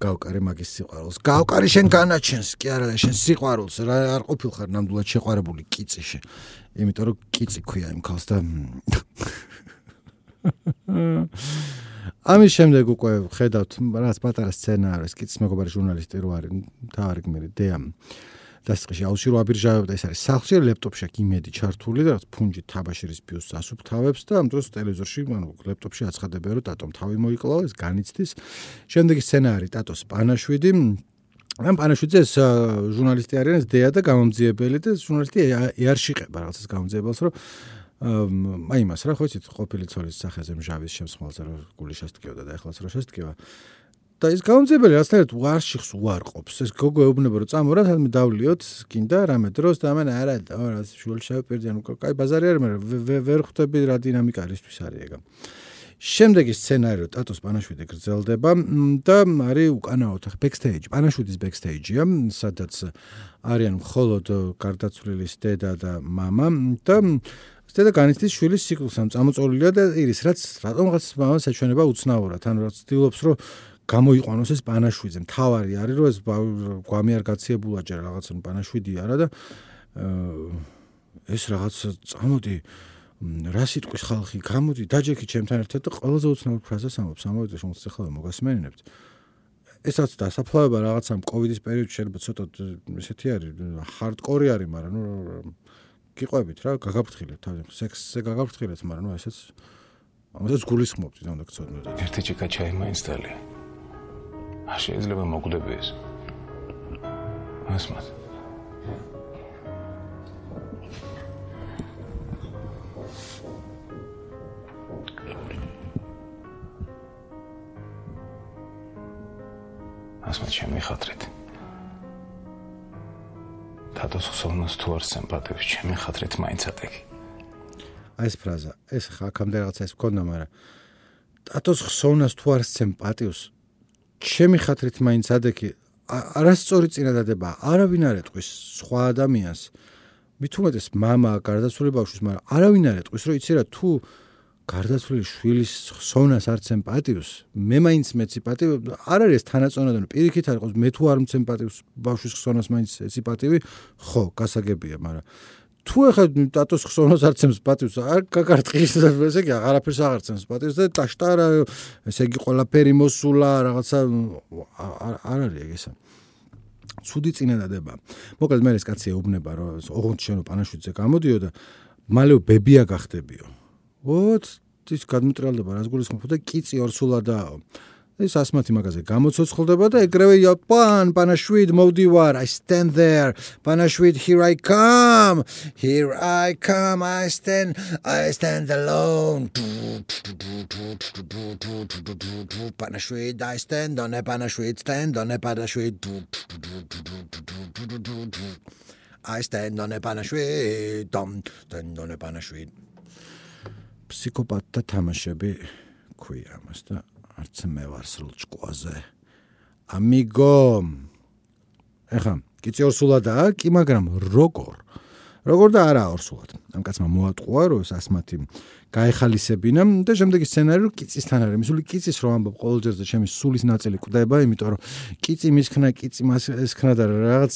გავკარი მაგის სიყვარულს გავკარი შენ განაჩენს კი არა შენ სიყვარულს რა არ ყოფილხარ ნამდვილად შეყვარებული კიციში იმიტომ რომ კიცი ქვია იმ ქალს და ამის შემდეგ უკვე ხედავთ რაღაც პატარა სცენა არის კიცის მეგობარი ჟურნალისტი რო არის თავარი გმირი დეამ დასწრში აუში რო აბირჟავებდა ეს არის სახლში ლეპტოპში აქ იმედი ჩართული და რაღაც ფუნჯი თაბაშირის ბიუსტს ასუფთავებს და ამ დროს ტელევიზორში ანუ ლეპტოპში აცხადებენ რომ ტატომ თავი მოიკლავა ეს განიცდის შემდეგი სცენა არის ტატოს პანაშვიდი ამ პანაშვიდზე ეს ჟურნალისტი არის ეს დეა და გამომძიებელი და ჟურნალისტი ეარშიყება რაღაცას გამომძიებელს რომ აი მას რა ხო იცით ყოფილი ცოლის სახეზე მჟავის შემსხმელზე რომ გული შესტკიოდა და ეხლაც რა შესტკივა და ის გამომძებელი რაღაცნაირად უარშიხს უარყოფს. ეს გოგო ეუბნება რომ წამო რა თამე დავლიოთ, გინდა რამე დროს და ამან არა რა შუალ შევპირდი ანუ კაი ბაზარი არის, მაგრამ ვერ ხვდები რა დინამიკა არისთვის არის ეგა. შემდეგი სცენაριο ტატოს პანაშვიდი გრძელდება და არის უკანაოდ ბექსტეიჯი, პანაშვიდის ბექსტეიჯია, სადაც არიან მხოლოდ გარდაცვლილის დედა და მამა და დედა განიცდის შვილის ციკლს, ამ წამოწოლილია და ირის რაც რატომღაც მამას ეჩვენება უცნაურად, ანუ რაც ცდილობს რომ გამოიყვანოს ეს პანაშვიდზე. მთავარი არის რომ ეს გვამი არ გაციებულა ჯერ რაღაცა პანაშვიდი არა და ეს რაღაც წამოდი რა სიტყვის ხალხი გამოდი დაჯექი ჩემთან ერთად და ყველაზე უცნაურ ფრაზას ამბობს ამოვიდა შემოც ახლა მოგასმენინებთ ესაც დასაფლავება რაღაცა კოვიდის პერიოდში შეიძლება ცოტა ესეთი არის ჰარდკორი არის მაგრამ ნუ გიყვებით რა გაგაფრთხილეთ თავი სექსზე გაგაფრთხილეთ მაგრამ ნუ ესეც ამასაც გულისხმობთ და უნდა გწოდნოთ ერთი ჭიქა ჩაი მაინცდალი არ შეიძლება მოგვდები ეს ასმათ ასმათ შემიხატრეთ თათოს ხსოვნას თუ არ სიმპათიებს შემიხატრეთ მაინც ატეკი აი ეს ფრაზა ეს ხა აქამდე რაღაცა ეს მქონდა მაგრამ თათოს ხსოვნას თუ არ სიმპათიებს შემიხატრეთ მაინც ატეკი არასწორი წინადადება არავინ არ ეტყვის სხვა ადამიანს მით უმეტეს მამა გარდაცვლილი ბავშვის მაგრამ არავინ არ ეტყვის რომ იცი რა თუ გარდაცვლილი შვილის ხსოვნას არ სიმპათიებს მე მაინც მეცი პატივი არ არის ეს თანაწონადანი პირიქით არ იყოს მე თუ არ სიმპათიებს ბავშვის ხსოვნას მაინც ეცი პატივი ხო გასაგებია მაგრამ თუ ახლა ტატოს ხსოვნას არ სიმპათიებს არ გაგარტყის ესე იგი აღარაფერს აღარ სიმპათიებს და ტაშტარა ესე იგი ყველაფერი მოსულა რაღაცა არ არის ეგ ესა ცუდი წინადადება მოკლედ მე ეს კაცი ეუბნება რომ ოღონდ შენო პანაშვიდზე გამოდიო და მალე ბებია გახდებიო ვოთ ის გადმოტრალდება რას გულისხმობ და კიცი ორსულადაა ეს ასმათი მაგაზე გამოცოცხლდება და ეგრევე პან პანაშვიდ მოვდივარ I stand there პანაშვიდ here I come here I come I stand I stand alone პანაშვიდ I stand on a პანაშვიდ stand on a პანაშვიდ I stand on a პანაშვიდ stand on a პანაშვიდ ფსიქოპატთა თამაშები ქვია ამას და არც მე ვარ სრულ ჭკუაზე ამიგო ეხა კიცი ორსულადაა კი მაგრამ როგორ როგორ და არა ორსულად ამ კაცმა მოატყუა რომ ეს ასმათი გაეხალისებინა და შემდეგი სცენარი რომ კიცისთან არის მისული კიცის რომ ამბობ ყოველჯერ და ჩემი სულის ნაწილი კვდება იმიტომ რომ კიცი მისქნა კიცი მას ესქნა და რაღაც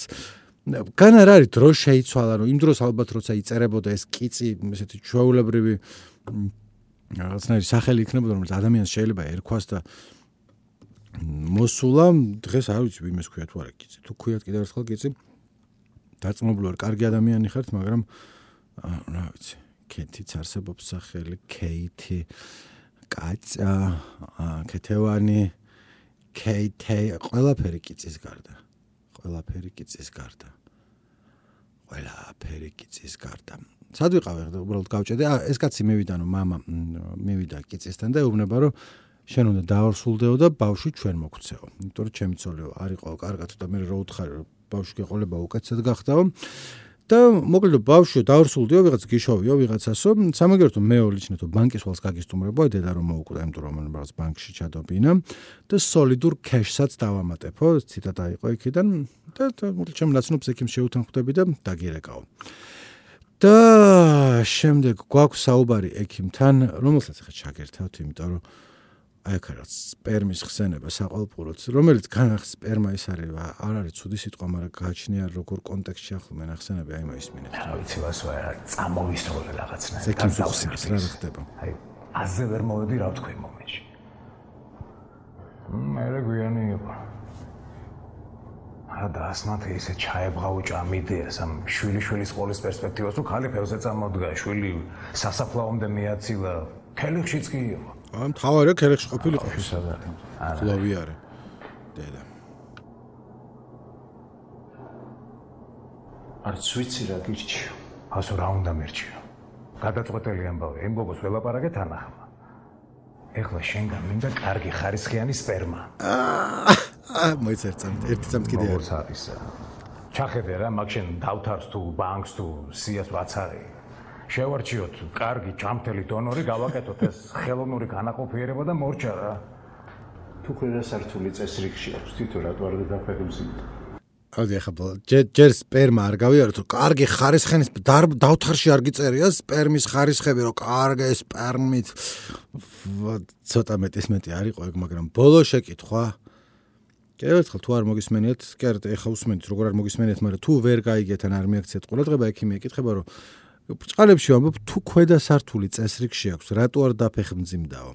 გან არ არის დრო შეიცვალა რომ იმ დროს ალბათ როცა იწერებოდა ეს კიცი ესეთი ჩვეულებრივი რაღაცნაირი სახელი იქნებოდა რომელიც ადამიანს შეიძლება ერქვას და მოსულა დღეს არ ვიცი ვინმეს ქვია თუ არა კიცი თუ ქვიათ კიდევ ერთხელ კიცი დაწმობლივ კარგი ადამიანი ხართ მაგრამ რა ვიცი კეთიც არსებობს სახელი კეითი კაცა კეთევანი კეითე ყველაფერი კიცის გარდა ყველაფერი კიცის გარდა ყველაფერი კიცის გარდა სად ვიყავი ხა უბრალოდ გავჭედი ეს კაცი მივიდა რომ мама მივიდა კიცისთან და ეუბნება რომ შენ უნდა დაორსულდეო და ბავშვი ჩვენ მოგცეო იმიტომ რომ ჩემი ცოლიო არ იყო კარგად და მე რო უთხარი რომ ბავშვი გეყოლება უკეთესად გახდაო და მოკლედ ბავშვი დაორსულდეო ვიღაც გიშოვიო ვიღაცასო სამაგერტო მე ოლიჩნეთო ბანკის ვალს გაგისტუმრებო დედა რომ მოუკვდა იმიტომ რომ რაღაც ბანკში ჩადობინა და სოლიდურ კეშსაც დავამატებო ციტატა იყო იქიდან და მოკლედ ჩემ ნაცნობს ექიმს შეუთანხმდები და დაგირეკაო და შემდეგ გვაქვს საუბარი ექიმთან, რომელსაც ახლა ჩაგერთავთ, იმიტომ რომ აი აქ არის სპერმის ხსენება საყვალპუროთ, რომელიც განახ სპერმა ის არის, არ არის ცუდი სიტყვა, მაგრამ გააჩნია როგორ კონტექსტში ახლა მე ნახსენები აი მაისმინეთ. რა ვიცი ვასო არა, წამოვისროლე რაღაცნაირად. ექიმს უხსენებს რა ხდება. აი აზე ვერ მოვედი რა ვთქვი მომენტში. მე რეგვიანი იყო. და ასმათი ისე ჩაებღავჭა ამ იდეას ამ შვილი-შვილის ყოლის პერსპექტივას რომ ხალი ფევზე წამოდგა შვილი სასაფლაომდე მიაცილა ქელიხშიც კი იყო ამ თავარია ქელიხში ყოფილიყო სადარი ხლოვი არის დედა არც ვიცი რა გირჩიო ასო რა უნდა მერჩიო გადაწყვეტელი ამბავი იმ გოგოს ველაპარაკეთ ანახმა ეხლა შენგან მინდა კარგი ხარისხიანი სპერმა. აა მოიცერწამთ ერთი წამთ კიდე როგორც არის. ჩახედე რა, მაგ შენ დავთარს თუ ბანკს თუ სიას რაც არის. შევარჩიოთ კარგი ჭამთელი დონორი, გავაკეთოთ ეს ხელოვნური განაყოფიერება და მორჩა რა. თუ ყველა სართული წესრიგში აქვს, თვითონ რატო არ დაფეხმძიმდა? აუდი ახლა ჯერ სპერმა არ გავიაროთ, რომ კარგი ხარისხენის დავთარში არ გიწერია სპერმის ხარისხები, რომ კარგი სპერმით ცოტა მეტის მეტი არ იყო ეგ, მაგრამ ბოლო შეკითხვა. კერთხელ თუ არ მოგისმენიათ, კერთ ეხა უსმენთ, როგორ არ მოგისმენიათ, მაგრამ თუ ვერ გაიგეთ ან არ მიაქციეთ ყურადღება, ექიმი ეკითხება, რომ ბჭყალებში ვამბობ, თუ ქვედა სართული წესრიგში აქვს, რატო არ დაფეხმძიმდაო?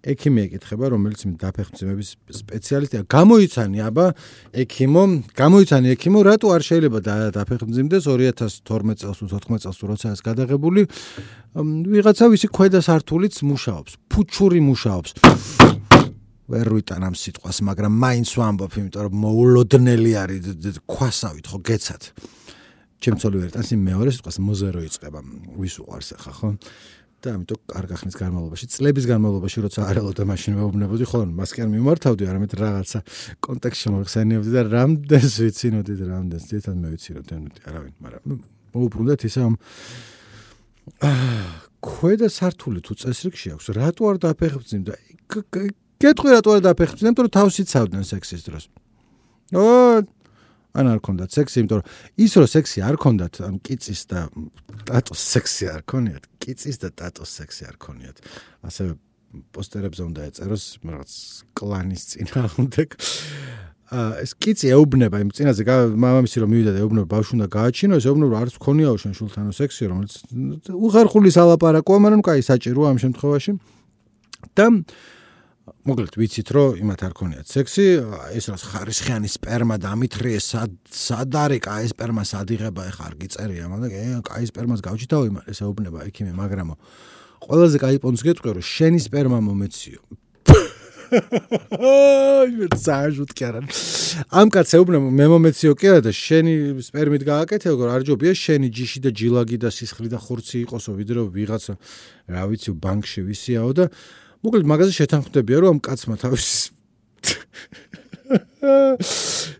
ექიმი ეკითხება, რომელიც დაფეხმძიმების სპეციალისტია, გამოიცანი აბა ექიმო, გამოიცანი ექიმო, რატო არ შეიძლება დაფეხმძიმდეს ორი ათას თორმეტ წელს თუ თოთხმეტ წელს თუ როცა ეს გადაღებული, ვიღაცა ვისი ქვედა სართულიც მუშაობს, ფუჩური მუშაობს. ვერ ვიტან ამ სიტყვას, მაგრამ მაინც ვამბობ, იმიტომ რომ მოულოდნელი არის ქვასავით ხო გეცათ. ჩემ ცოლი ვერ იტანს იმ მეორე სიტყვას მოზერო იწყება. ვის უყვარს ახლა ხო? და ამიტომ კარგ ახნის განმავლობაში, წლების განმავლობაში როცა არელოდა მაშინ ვეუბნებოდი, ხოლმე მას კი არ მიმართავდი, არამედ რაღაცა კონტექსტში მოიხსენიებდი და რამდენს ვიცინოდი და რამდენს ძირითადად მე ვიცინოდი, არავინ, მაგრამ მოუბრუნდეთ ისე ამ ქვედა სართული თუ წესრიგში აქვს, რატო არ დაფეხმძიმდა? გეტყვი რატო არ დაფეხმძიმდა, იმიტომ რომ თავს იცავდნენ სექსის დროს. ო ან არ ქონდათ სექსი, იმიტომ რომ ის რომ სექსი არ ქონდათ, ან კიწის და ტატოს სექსი არ ქონიათ, კიწის და ტატოს სექსი არ ქონიათ. ასევე პოსტერებზე უნდა ეწეროს რაღაც კლანის წინააღმდეგ. ეს კიცი ეუბნება იმ წინაზე, მამამისი რომ მივიდა და ეუბნება ბავშვი უნდა გააჩინო, ეს ეუბნება არც ქონიაო შენ შულთანო სექსი, რომელიც უხერხული სალაპარაკოა, მაგრამ კაი საჭიროა ამ შემთხვევაში. და მოკლედ ვიცით რომ იმათ არ ქონიათ სექსი, ეს რაც ხარისხიანი სპერმა დამithრიეს, სად არის კაი სპერმა სადიღება, ეხა არ გიწერია, მაგრამ კაი სპერმას გავჭიდაო იმას, ეს ეუბნება ექიმი, მაგრამო ყველაზე კაი პონც გეტყვი რომ შენი სპერმა მომეციო. აი, საერთოდ კი არა. ამ კაცს ეუბნება მე მომეციო კი არა და შენი სპერმით გააკეთე, როგორ არ ჯობია შენი ჯიში და ჯილაგი და სისხლი და ხურცი იყოსო, ვიდრე ვიღაცა რა ვიცი ბანკში ვისიაო და მოკლედ მაგაზე შეთანხმდებია რომ ამ კაცმა თავის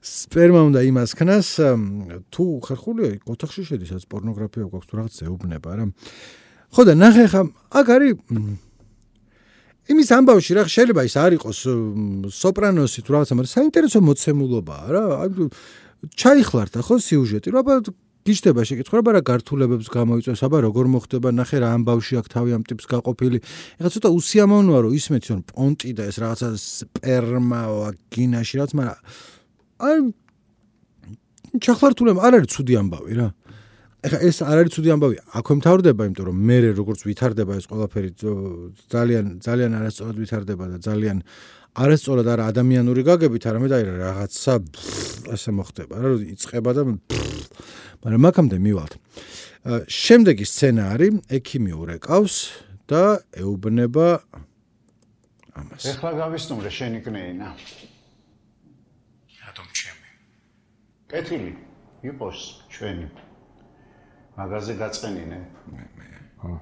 სპერმა უნდა იმას ქნას თუ ხერხულია ოთახში შედის რაც პორნოგრაფია გვაქვს თუ რაღაც ეუბნება რა. ხო და ნახე ხა აქ არის იმის ამბავში რა შეიძლება ის არ იყოს სოპრანოსი თუ რაღაცა, მაგრამ საინტერესო მოცემულობაა რა. ჩაიხლარდა ხო სიუჟეტი, რა აბა გიჩდება შეკითხვა, აბა რა გართულებებს გამოიწვევს, აბა როგორ მოხდება, ნახე რა ამბავში აქ თავი ამ ტიპს გაყოფილი. ეხლა ცოტა უსიამოვნოა რომ ისმეთი რომ პონტი და ეს რაღაცა სპერმა ვაგინაში რაც, მაგრამ აი ჩახლართულება არ არის ცუდი ამბავი რა. ეხლა ეს არ არის ცუდი ამბავი, აქვე მთავრდება, იმიტომ რომ მე როგორც ვითარდება ეს ყველაფერი ძალიან ძალიან არასწორად ვითარდება და ძალიან არასწორად არა ადამიანური გაგებით, არამედ აი რაღაცა ასე მოხდება რა, იწყება და მაგრამ მაგამდე მივალთ. შემდეგი სცენა არის ექიმი ურეკავს და ეუბნება ამას. ეხლა გავისტუმრე შენი კნეინა. რატომ ჩემი? კეთილი იყოს ჩვენი. მაგაზე გაწყენინე. მე მე. ხო.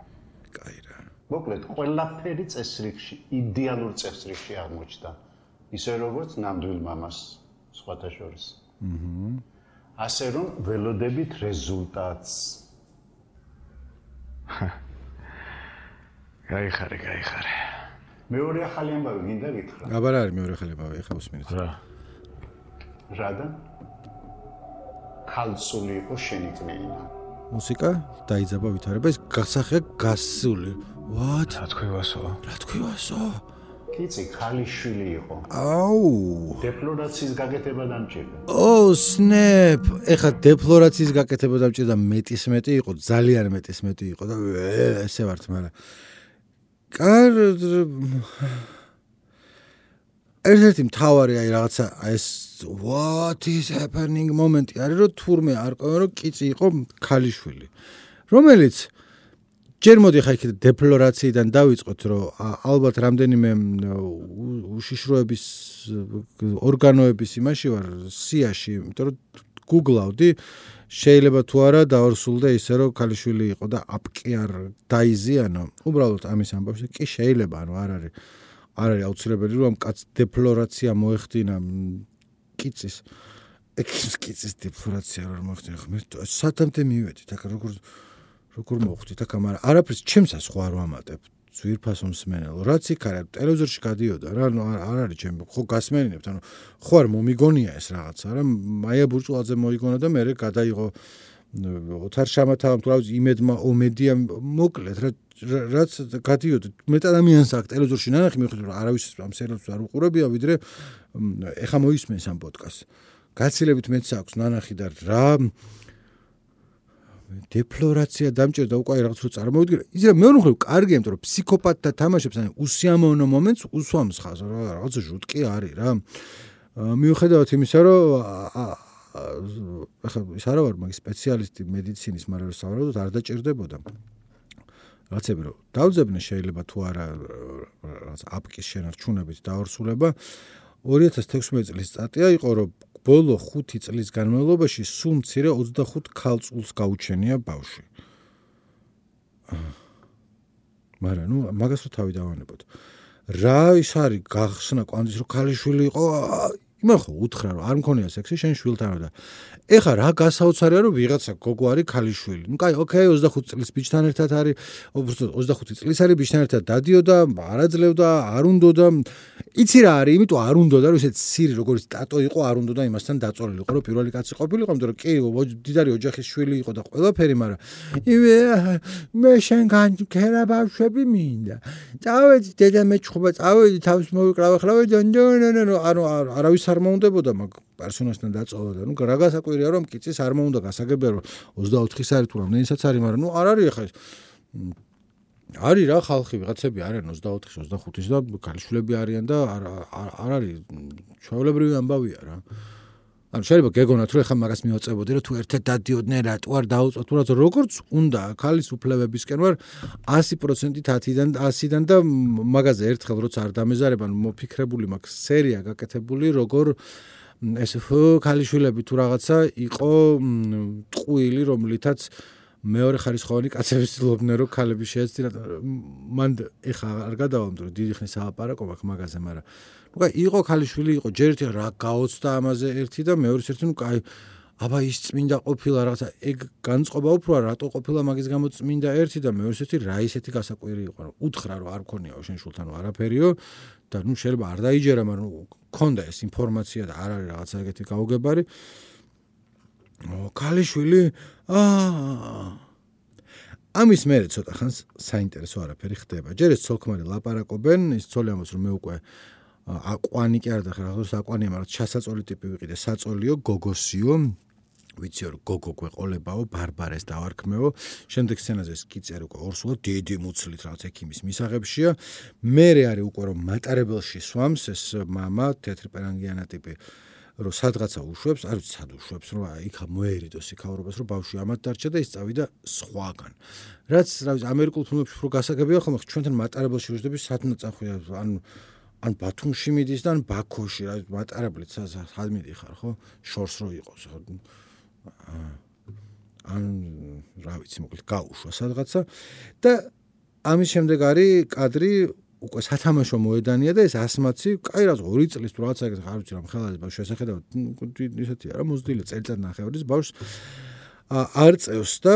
კაი რა. მოკლედ ყველაფერი წესრიგში, იდეალურ წესრიგში აღმოჩნდა. ისე როგორც ნამდვილ მამას სხვათა შორის. აჰა. ასე რომ ველოდებით რეზულტატს. გაიხარე, გაიხარე. მეორე ახალი ამბავი გინდა გითხრა? აბა რა არის მეორე ახალი ამბავი, ეხლა უსმინეთ. რა? რადა? ქალწული იყო შენი კნეინა. მუსიკა დაიძაბა ვითარება, ეს გასახე გასული. What? რა თქვივასო? რა თქვივასო? კიცი ქალიშვილი იყო. აუ. დეფლორაციის გაკეთება დამჭირდა. ო, სნეპ. ეხა დეფლორაციის გაკეთება დამჭირდა მეტის მეტი იყო, ძალიან მეტის მეტი იყო და ესე ვართ, მაგრამ კარ ერთ-ერთი მთავარი აი რაღაცა ეს what is happening მომენტი არის რომ თურმე არ ყვება რომ კიცი იყო ქალიშვილი, რომელიც ჯერ მოდი ხა იქ დეფლორაციიდან დავიწყოთ რომ ალბათ რამდენიმე უშიშროების ორგანოების იმაში ვარ სიაში, იმიტომ რომ გუგლავდი შეიძლება თუ არა დაორსულდა ისე რომ ქალიშვილი იყო და აპკი არ დაიზიანო უბრალოდ ამის ამბავში კი შეიძლება ანუ არ არის არ არის აუცილებელი რომ კაც დეფლორაცია მოეხდინა კიცის კიცის დეფლორაცია არ მოეხდინა ღმერთო სათამდე მივედით აქ როგორ როგორ მოხვდით აქ მაგრამ არაფერს ჩემსას ხო არ ვამატებ ძვირფასო მსმენელო რაც იქ არის ტელევიზორში გადიოდა რა ანუ არ არის ჩემი ხო გასმენინებთ ანუ ხო არ მომიგონია ეს რაღაცა რა მაია ბურჭულაძე მოიგონა და მე გადაიღო ოთარ შამათავამ თუ რა ვიცი იმედმა ომედია მოკლედ რა რაც გადიოდა მეტ ადამიანს აქ ტელევიზორში ნანახი მიხვდები რომ არავის ამ სერიალს არ უყურებია ვიდრე ეხა მოისმენს ამ პოდკასტს გაცილებით მეც აქვს ნანახი და რა დეფლორაცია დამჭერდა უკვე რაღაც რო წარმოვიდგინე იზრა მეორე მხრივ კარგია იმიტომ რომ ფსიქოპატთა თამაშებს ან უსიამოვნო მომენტს უსვამს ხაზ რა რაღაც ჟუტკი არის რა მიუხედავად იმისა რომ ახლა ის არა ვარ მაგის სპეციალისტი მედიცინის მაგრამ რო სავარაუდოდ არ დაჭირდებოდა რაღაცები რომ დავძებნე შეიძლება თუ არა რაღაც აპკის შენარჩუნებით დაორსულება ორი ათას თექვსმეტი წლის სტატია იყო რომ ბოლო ხუთი წლის განმავლობაში სულ მცირე ოცდახუთ ქალწულს გაუჩენია ბავშვი. მაგრამ ნუ მაგას რო თავი დავანებოთ. რა ის არის გახსნა კვანძის რომ ქალიშვილი იყო იმან ხო უთხრა რომ არ მქონია სექსი შენ შვილთანო და ეხა რა გასაოცარია რომ ვიღაცა გოგო არის ქალიშვილი. ნუ კაი ოკეი ოცდახუთი წლის ბიჭთან ერთად არის ოცდახუთი წლის არის ბიჭთან ერთად დადიოდა არაძლევდა არ უნდოდა იცი რა არის იმიტომ არ უნდოდა რომ ესეც სირი როგორც ტატო იყო არ უნდოდა იმასთან დაწოლილიყო რომ პირველი კაცი ყოფილიყო იმიტომ რომ კი დიდარი ოჯახის შვილი იყო და ყველაფერი მაგრამ იმე მე შენგან ქერა ბავშვები მინდა წავედი დედა მეჩხობა წავედი თავს მოვიკრავ ახლა ნო ანუ არავის არ მოუნდებოდა მაგ პერსონაჟთან დაწოლა და ნუ რა გასაკვირია რომ კიცის არ მოუნდა გასაგებია რომ ოცდაოთხის არის თუ რამდენისაც არის მაგრამ ნუ არ არის ახლა არის რა ხალხი ვიღაცები არიან ოცდაოთხის ოცდახუთის და ქალიშვილები არიან და არ არ არის ჩვეულებრივი ამბავია რა ანუ შეიძლება გეგონათ რომ ეხლა მაგას მივაწებოდი რომ თუ ერთად დადიოდნენ რატო არ დაუწყოთ თუ რა როგორც უნდა ქალის უფლებებისკენ ვარ ასი პროცენტით ათიდან ასიდან და მაგაზე ერთხელ როცა არ დამეზარება მოფიქრებული მაქვს სერია გაკეთებული როგორ ეს ქალიშვილები თუ რაღაცა იყო ტყუილი რომლითაც მეორე ხარისხოვანი კაცები ცდილობდნენ რომ ქალები შეეცდინათ მან ეხა არ გადავამთ რომ დიდი ხნის ალაპარაკო მაქვს მაგაზე მაგრამ ნუ კაი იყო ქალიშვილი იყო ჯერ ერთი რა გაოცდა ამაზე ერთი და მეორე ერთი ნუ კაი აბა ის წმინდა ყოფილა რაღაცა ეგ განწყობა უფრო რატო ყოფილა მაგის გამო წმინდა ერთი და მეორე ერთი რა ისეთი გასაკვირი იყო რომ უთხრა რომ არ ქონიაო შენ შულთან არაფერიო და ნუ შეიძლება არ დაიჯერა მაგრამ ქონდა ეს ინფორმაცია და არ არის რაღაცა ეგეთი გაუგებარი ქალიშვილი აა ამის მერე ცოტა ხანს საინტერესო არაფერი ხდება ჯერ ეს ცოლქმარი ლაპარაკობენ ის ცოლი ამბობს რომ მე უკვე აკვანი კი არ დახარ რაღაც აკვანია მაგრამ ჩასაწოლი ტიპი ვიყიდე საწოლიო გოგოსიო ვიცი რომ გოგო გვეყოლებაო ბარბარეს დავარქმეო შემდეგ სცენაზე ეს კიწერი უკვე ორსულად დიდი მუცლით რაღაც ექიმის მისაღებშია მერე არის უკვე რომ მატარებელში სვამს ეს მამა თეთრპერანგიანა ტიპი რომ სადღაცა უშვებს არ ვიცი სად უშვებს რომ იქა მოერიდოს იქაურობას რომ ბავშვი ამათ დარჩა და ის წავიდა სხვაგან რაც რა ვიცი ამერიკულ ფილმებში რო გასაგებია ხოლმე ჩვენთან მატარებელში ვიждები სათნა წახვია ან ან ბათუმში მიდის და ან ბაქოში რა მატარებლით სად მიდიხარ ხო შორს რო იყოს ან რა ვიცი მოკლედ გაუშვა სადღაცა და ამის შემდეგ არის კადრი უკვე სათამაშო მოედანია და ეს ასმაცი კაი რაც ორი წლის თუ რაღაცა ეგეთ არ ვიცი რა მხელადი ბავშვი შესახედავად ისეთია რა მოზრდილი წელიწად ნახევრის ბავშვს არ წევს და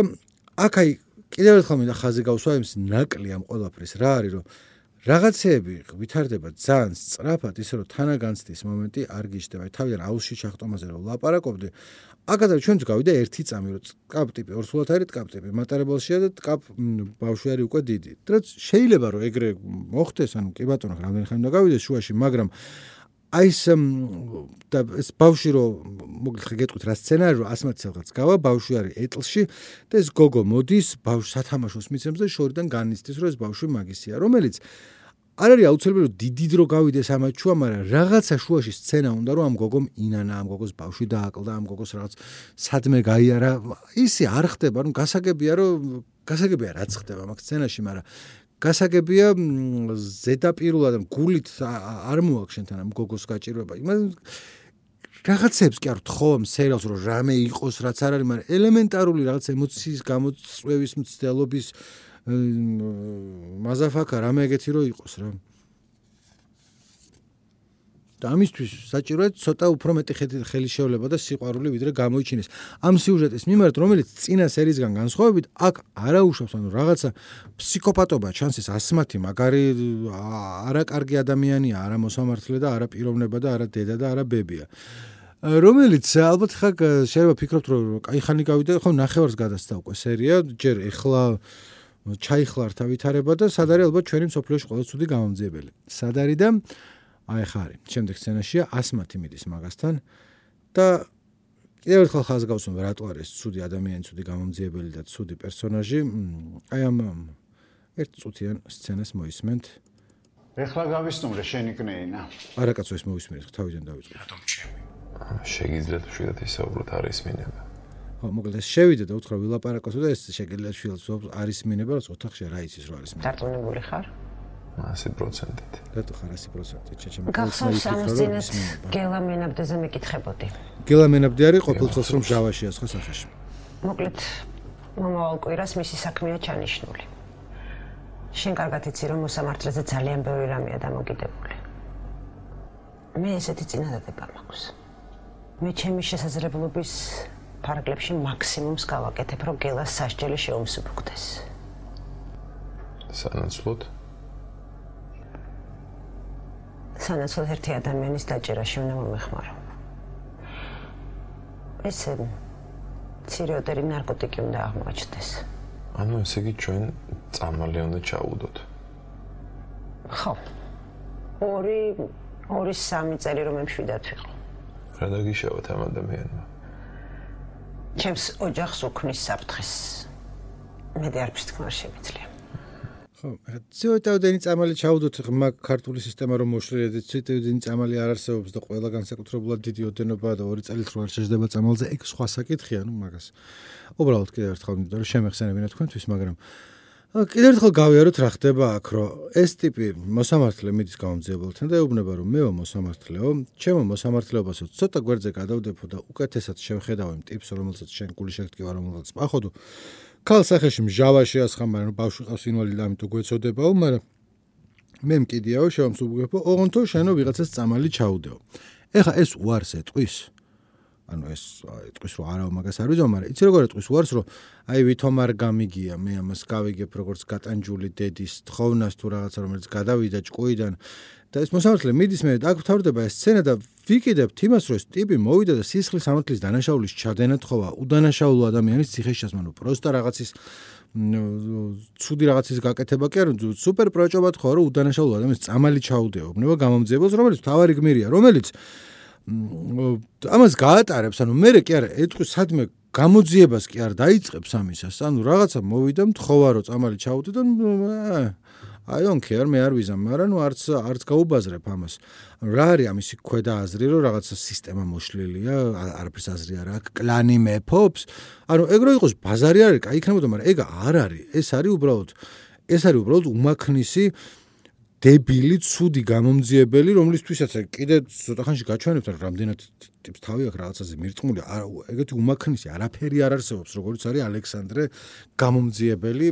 აქ აი კიდევ ერთხელ მინდა ხაზი გავსვა იმის ნაკლი ამ ყველაფრის რა არის რომ რაღაცეები ვითარდება ძალიან სწრაფად ისე რომ თანაგანცდის მომენტი არ გიჩნდება აი თავიდან აუზში ჩახტომაზე რომ ლაპარაკობდი აკადემი ჩვენც გავიდა ერთი წამი რომ ტკაპ ტიპი ორსულად არის ტკაპ ტიპი მატარებელშია და ტკაპ ბავშვი არის უკვე დიდი რაც შეიძლება რომ ეგრე მოხდეს ანუ კი ბატონო რამდენი ხანი უნდა გავიდეს შუაში მაგრამ აი ეს და ეს ბავშვი რომ მოკლედ გეტყვით რა სცენარი რომ ასმაც რაღაც გავა ბავშვი არის ეტლში და ეს გოგო მოდის ბავშვს სათამაშოს მიცემს და შორიდან განიცდის რომ ეს ბავშვი მაგისია რომელიც არ არის აუცილებელი რომ დიდი დრო გავიდეს ამათ შუა მაგრამ რაღაცა შუაში სცენა უნდა რომ ამ გოგომ ინანა ამ გოგოს ბავშვი დააკლდა ამ გოგოს რაღაც სადმე გაიარა ისი არ ხდება ნუ გასაგებია რომ გასაგებია რაც ხდება მაგ სცენაში მაგრამ გასაგებია ზედაპირულად გულით არ მოაქვს შენთან ამ გოგოს გაჭირვება იმან რაღაცებს კი არ ვთხოვ სერიალს რომ რამე იყოს რაც არ არის, მაგრამ ელემენტარული რაღაც ემოციის გამოწვევის მცდელობის მაზაფაკა რამე ეგეთი რო იყოს რა. და ამისთვის საჭიროა ცოტა უფრო მეტი ხელი შევლება და სიყვარული ვიდრე გამოიჩინეს. ამ სიუჟეტის მიმართ, რომელიც წინა სერიისგან განსხვავებით, აქ არაუშავს, ანუ რაღაცა ფსიქოპატობა ჩანს, ეს ასმათი, მაგარი არაკარგი ადამიანია, არა მოსამართლე და არა პიროვნება და არა დედა და არა ბებია. რომელიც ალბათ ხა შეიძლება ფიქრობთ, რომ კაი ხანი გავიდა, ხო ნახევარს გადასცა უკვე სერია, ჯერ ეხლა ჩაიხლართა ვითარება და სად არის ალბათ ჩვენი მსოფლიოში ყველა ცუდი გამომძიებელი. სად არის და აი ხა არის. შემდეგ სცენაშია ასმათი მიდის მაგასთან და კიდევ ერთხელ ხაზს გავუსვამ რატო არის ცუდი ადამიანი, ცუდი გამომძიებელი და ცუდი პერსონაჟი. აი ამ ერთ წუთიან სცენას მოისმენთ. ეხლა გავისტუმრე შენი კნეინა. არა კაცო ეს მოვისმენთ, თავიდან დავიწყე. რატომ ჩემი? შეგიძლიათ შვიდათ ისაუბროთ არის მინება. ხო, მოკლედ ეს შევიდა და უთხრა ვილაპარაკოსო და ეს შეგიძლიათ შვიდათ არის მინება, რაც ოთახში რა იცის რა არის. დარწმუნებული ხარ? ასი პროცენტით. რატო ხარ ასი პროცენტით? ჩეჩემ გახსოვს ამის წინათ გელა მენაბდეზე მეკითხებოდი. გელა მენაბდე არის ყოფილ წელს რომ ჟავაშია სხვა სახეში. მოკლედ მომავალ კვირას მისი საქმეა ჩანიშნული. შენ კარგად იცი რომ მოსამართლეზე ძალიან ბევრი რამეა დამოკიდებული. მე ესეთი წინადადება მაქვს. მე ჩემი შესაძლებლობის ფარგლებში მაქსიმუმს გავაკეთებ, რომ გელას სასჯელი შეუმსუბუქდეს. სანაცვლოდ სანაცვლოდ ერთი ადამიანის დაჭერაში უნდა მომეხმარო. ეს ცირეოდერი ნარკოტიკი უნდა აღმოაჩნდეს. ანუ ესე იგი ჩვენ წამალი უნდა ჩაუდოთ. ხო. ორი ორი სამი წელი რომ მშვიდად ვიყო. რა დაგიშავოთ ამ ადამიანმა? ჩემს ოჯახს უქმნის საფრთხეს. მე არაფერს თქმა არ შემიძლია. ხო, ცოტაოდენი წამალი ჩაუდოთ ღმა ქართული სისტემა რომ მოშლილეთ, ცოტაოდენი წამალი არ არსებობს და ყველა განსაკუთრებულად დიდი ოდენობა და ორი წელით რო არ შეждდება წამალზე, ეგ სხვა საკითხია, ნუ მაგას. უბრალოდ კიდევ ერთხელ მინდა რომ შემეხსენებინა თქვენთვის, მაგრამ კიდევ ერთხელ გავიაროთ რა ხდება აქ, რომ ეს ტიპი მოსამართლე მიდის გამომძიებელთან და ეუბნება რომ მეო მოსამართლეო, ჩემო მოსამართლეობასო ცოტა გვერდზე გადავდებო და უკეთესად შევხედავ იმ ტიპს, რომელსაც შენ გული შეგტკივა, რომელსაც პახოვ. ქალ სახეში მჟავაში ასხამარ, რომ ბავშვი ყავს ინვალიდი, ამიტომ გვეცოდებაო, მაგრამ მე მკიდიაო, შევამსუბუქებო, ოღონდ შენო ვიღაცას წამალი ჩაუდეო. ეხა ეს უარს ეტყვის. ანუ ეს ეტყვის რომ არა მაგას არ ვიძო, მაგრამ იცი როგორ ეტყვის უარს, რომ აი ვითომ არ გამიგია, მე ამას გავიგებ როგორც გატანჯული დედის თხოვნას თუ რაღაცა რომელიც გადავიდა ჭკუიდან და ეს მოსამართლე მიდის მე აქ ვთავრდება ეს სცენა და ვიკიდებთ იმას, რომ ეს ტიპი მოვიდა და სისხლის ამართლის დანაშაულის ჩადენა თხოვა უდანაშაულო ადამიანის ციხეში ჩასმანო, პროსტა რაღაცის ცუდი რაღაცის გაკეთება კი არა, სუპერ პროჭობა თქო რომ უდანაშაულო ადამიანის წამალი ჩაუდეო, უბნება გამომძიებელს, რომელიც თავარი გმირია, რომელიც ამას გაატარებს, ანუ მე კი არა ეტყვის სადმე გამოძიებას კი არ დაიწყებს ამისას, ანუ რაღაცა მოვიდა მთხოვა რომ წამალი ჩაუდე და I don't care, მე არ ვიზამ, მაგრამ ნუ არც არც გაუბაზრებ ამას. რა არის ამისი ქვედა აზრი, რომ რაღაცა სისტემა მოშლილია, არაფერს აზრი არ აქვს, კლანი მეფობს. ანუ ეგ რო იყოს ბაზარი არის, კაი იქნებოდა, მაგრამ ეგ არ არის. ეს არის უბრალოდ ეს არის უბრალოდ უმაქნისი დებილი, ცუდი გამომძიებელი, რომლისთვისაც კიდე ცოტა ხანში გაჩვენებთ, რომ რამდენად ტიპს თავი აქვს რაღაცაზე მირწმული, ეგეთი უმაქნისი არაფერი არ არსებობს, როგორც არის ალექსანდრე გამომძიებელი,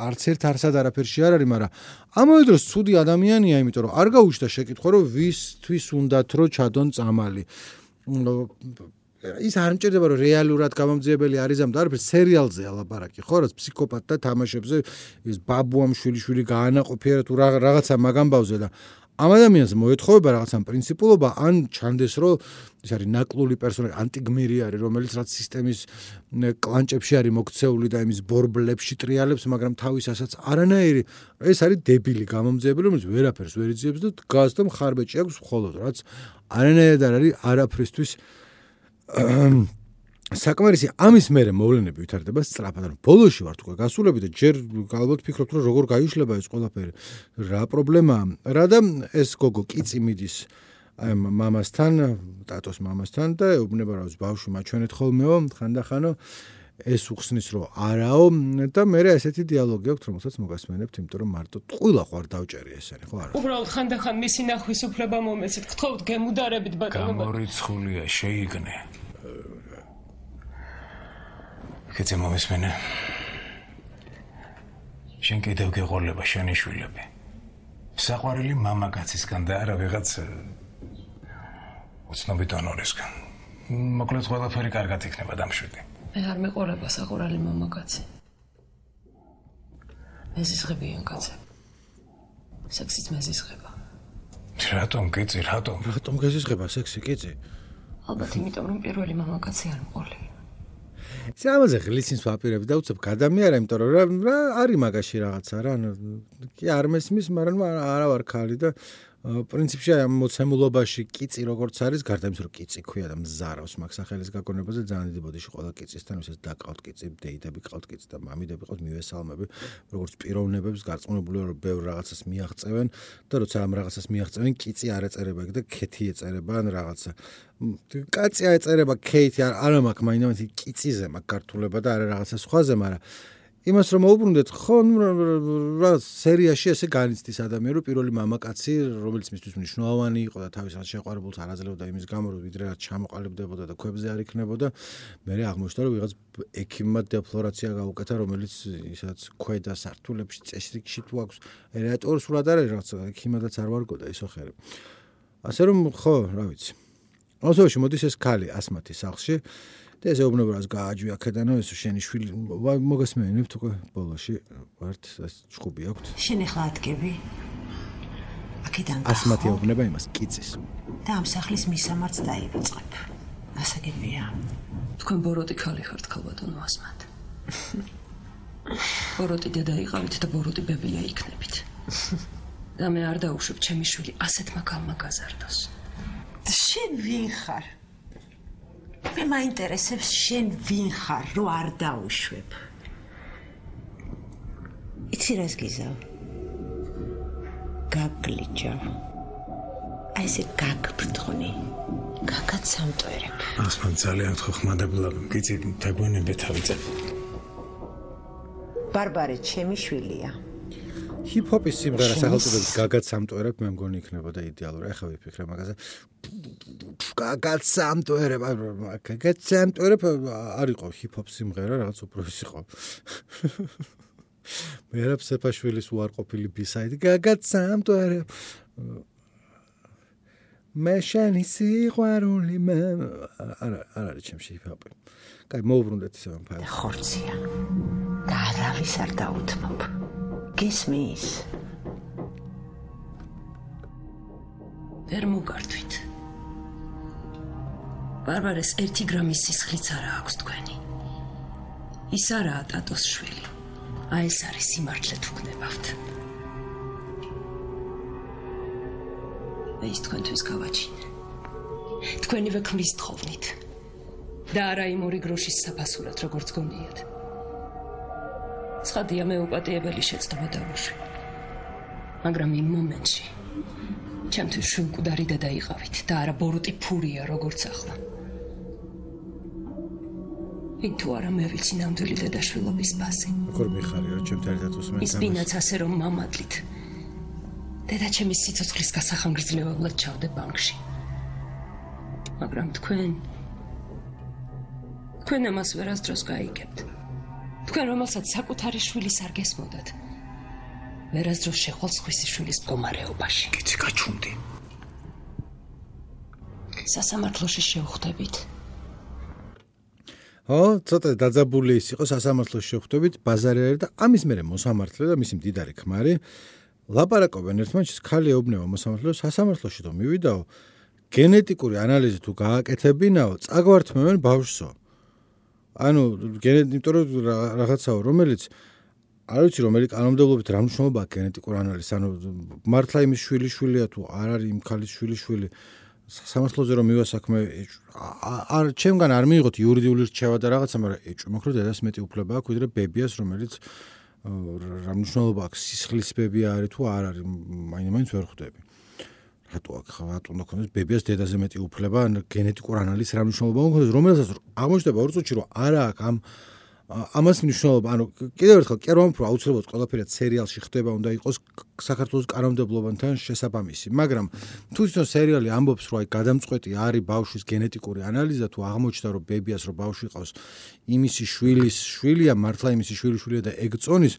არც ერთ არსად არაფერში არ არის, მაგრამ ამავე დროს ცუდი ადამიანია, იმიტომ რომ არ გაუჩნდა შეკითხვა, რომ ვისთვის უნდათ რომ ჩადონ წამალი. ის არ მჭირდება რომ რეალურად გამომძიებელი არის ამ და არაფერს სერიალზე ალაპარაკი, ხო, რაც ფსიქოპატთა თამაშებზე ის ბაბუამ შვილიშვილი გაანაყოფიერა თუ რაღაცა მაგამბავზე და ამ ადამიანს მოეთხოვება რაღაცა პრინციპულობა, ან ჩანდეს რომ ის არის ნაკლული პერსონაჟი, ანტიგმირი არის, რომელიც რაც სისტემის კლანჭებში არის მოქცეული და იმის ბორბლებში ტრიალებს, მაგრამ თავისასაც არანაირი, ეს არის დებილი გამომძიებელი, რომელიც ვერაფერს ვერ იძიებს და დგას და მხარბეჭი აქვს მხოლოდ, რაც არანაირად არ არის არაფრისთვის საკმარისი. ამის მერე მოვლენები ვითარდება სწრაფად, ანუ ბოლოში ვართ უკვე გასულები და ჯერ ალბათ ფიქრობთ რომ როგორ გაიშლება ეს ყველაფერი, რა პრობლემაა. რა და ეს გოგო კიცი მიდის აი მამასთან, ტატოს მამასთან და ეუბნება რომ ბავშვი მაჩვენეთ ხოლმეო, ხანდახანო ეს უხსნის რომ არაო და მე ესეთი დიალოგი აქვს რომელსაც მოგასმენებთ იმიტომ რომ მარტო ტყუილა ხო არ დავჭერი ესენი ხო არა უბრალოდ ხანდახან მისი ნახვის უფლება მომეცით გთხოვთ გემუდარებით ბატონო გამორიცხულია შეიგნე კეთე მომისმენე შენ კიდევ გეყოლება შენი შვილები საყვარელი მამაკაცისგან და არა ვიღაც უცნობი დონორისგან მოკლედ ყველაფერი კარგად იქნება დამშვიდი მე არ მეყოლება საყვარელი მამაკაცი მეზისხებიან კაცი სექსიც მეზისხება რატომ გიწი რატომ რატომ გეზისხება სექსი კიცი ალბათ იმიტომ რომ პირველი მამაკაცი არ მყოლი სამაზე ღლისის ვაპირებ და უცებ გადამიარა იმიტომ რომ რა არის მაგაში რაღაცა რა კი არ მესმის მაგრამ არა ვარ ხალი და პრინციპში ამ მოცემულობაში კიცი როგორც არის გარდა იმის რომ კიცი ქვია და მზარავს მაგ სახელის გაკონებაზე ძალიან დიდი ბოდიში ყველა კიცისთან ვისაც დაკავთ კიცი დეიდები ყავთ კიცი და მამიდები ყავთ მივესალმები როგორც პიროვნებებს გარწმუნებული რომ ბევრ რაღაცას მიაღწევენ და როცა ამ რაღაცას მიაღწევენ კიცი არ ეწერება და ქეთი ეწერება ან რაღაცა კაცი ეწერება ქეთი არა მაქვს მაინც კიციზე მაქვს გართულება და არა რაღაცა სხვაზე მაგრამ იმას რომ მოუბრუნდეთ ხო რა სერიაში ესე განიცდის ადამიანი რომ პირველი მამაკაცი რომელიც მისთვის მნიშვნელოვანი იყო და თავისას შეყვარებულს არ აძლევდა იმის გამო რომ ვიდრე რაც ჩამოყალიბდებოდა და ქვებზე არ იქნებოდა მე აღმოჩნდა რომ ვიღაც ექიმმა დეფლორაცია გაუკეთა რომელიც ისაც ქვედა სართულებში წესრიგში თუ აქვს ელევატორი სულად არის რაღაც ექიმადაც არ ვარგო და ისო ხერებ ასე რომ ხო რა ვიცი ასოში მოდის ეს ქალი ასმათი სახლში და ეს ეუბნება რას გააჯვია ქედანო ეს შენი შვილი მოგასმენებთ უკვე ბოლოში ვართ ეს ჭუბი აქვთ შენ ახლა ადგები აქედან ასმათი ეუბნება იმას კიცის და ამ სახლის მისამართს დაივიწყებ ასაგებია თქვენ ბოროტი ქალი ხართ ქალბატონო ასმათ ბოროტი დედა იყავით და ბოროტი ბებია იქნებით და მე არ დაუშვებ ჩემი შვილი ასეთმა ქალმა გაზარდოს შენ ვინ ხარ მე მაინტერესებს შენ ვინ ხარ რომ არ დაუშვებ იცი რას გიზავ გაგლიჯა აი ესე გაგბრთხნი გაგაც სამტვერებ ასმან ძალიან ხმადებლა გიცი დაგვენებე თავიწებ ბარბარე ჩემი შვილია ჰიპ-ჰოპის სიმღერა სახელწოდებით გაგაც სამტვერებ მე მგონი იქნებოდა იდეალური ახლა ვიფიქრე მაგაზე გაგაც სამტვერებ გაგაც სამტვერებ არ იყო ჰიპ-ჰოპ სიმღერა რაღაც უფრო ის იყო მე რა ფსეფაშვილის უარყოფილი ბისაიდი გაგაც სამტვერებ მე შენი სიყვარული მე არა არ არის ჩემში ჰიპ-ჰოპი კაი მოუბრუნდეთ ისე ამ ფაილს ხორცია და არავის არ დაუთმობ გისმის ვერ მოგართვით ბარბარეს ერთი გრამის სისხლიც არა აქვს თქვენი ის არაა ტატოს შვილი აი ეს არის სიმართლე თუ გნებავთ ეს თქვენთვის გავაჩინე თქვენივე ქმრის თხოვნით და არა იმ ორი გროშის საფასურად როგორც გონიათ ცხადია მე უპატიებელი შეცდომა დავუშვი მაგრამ იმ მომენტში ჩემთვის შვილკვდარი დედა იყავით და არა ბოროტი ფურია როგორც ახლა იქ თუ არა მე ვიცი ნამდვილი დედაშვილობის ბაზი როგორ მიხარი რომ ჩემთან ერთად უსმენთ ის ბინაც ასე რომ მამადლით დედა ჩემის სიცოცხლის გასახანგრძლივებლად ჩავდე ბანკში მაგრამ თქვენ თქვენ ამას ვერასდროს გაიგებთ თქვენ რომელსაც საკუთარი შვილის არ გესმოდათ ვერასდროს შეხვალ სხვისი შვილის მდგომარეობაში კიცი გაჩუნდი სასამართლოში შევხვდებით ო ცოტა დაძაბული ის იყო სასამართლოში შევხვდებით ბაზარი არის და ამის მერე მოსამართლე და მისი მდიდარი ქმარი ლაპარაკობენ ერთმანეთს ქალი ეუბნება მოსამართლეს სასამართლოში თუ მივიდაო გენეტიკური ანალიზი თუ გააკეთებინაო წაგვართმევენ ბავშვსო ანუ იმიტომ რომ რაღაცაო რომელიც არ ვიცი რომელი კანონმდებლობით რა მნიშვნელობა აქვს გენეტიკურ ანალიზს ანუ მართლა იმის შვილი შვილია თუ არ არის იმ ქალის შვილი შვილი სამართლოზე რომ მივასაქმე არ ჩემგან არ მიიღოთ იურიდიული რჩევა და რაღაცა მაგრამ ეჭვი მაქვს რომ დედას მეტი უფლება აქვს ვიდრე ბებიას რომელიც რა მნიშვნელობა აქვს სისხლის ბებია არის თუ არ არის მაინც ვერ ხვდები რატო აქ რატო უნდა ქონდეს ბებიას დედაზე მეტი უფლება გენეტიკურ ანალიზს რა მნიშვნელობა უნდა ქონდეს რომელსაც აღმოჩნდება ორ წუთში რომ არა აქვს ამ ამას მნიშვნელობა, ანუ კიდევ ერთხელ კი არ ვამბობ, რომ აუცილებლად ყველაფერი სერიალში ხდება, უნდა იყოს საქართველოს კანონმდებლობასთან შესაბამისი, მაგრამ თუ თვითონ სერიალი ამბობს, რომ აი გადამწყვეტი არის ბავშვის გენეტიკური ანალიზი და თუ აღმოჩნდა, რომ ბებიას რო ბავშვი ყავს, იმისი შვილის შვილია, მართლა იმისი შვილის შვილია და ეგ წონის,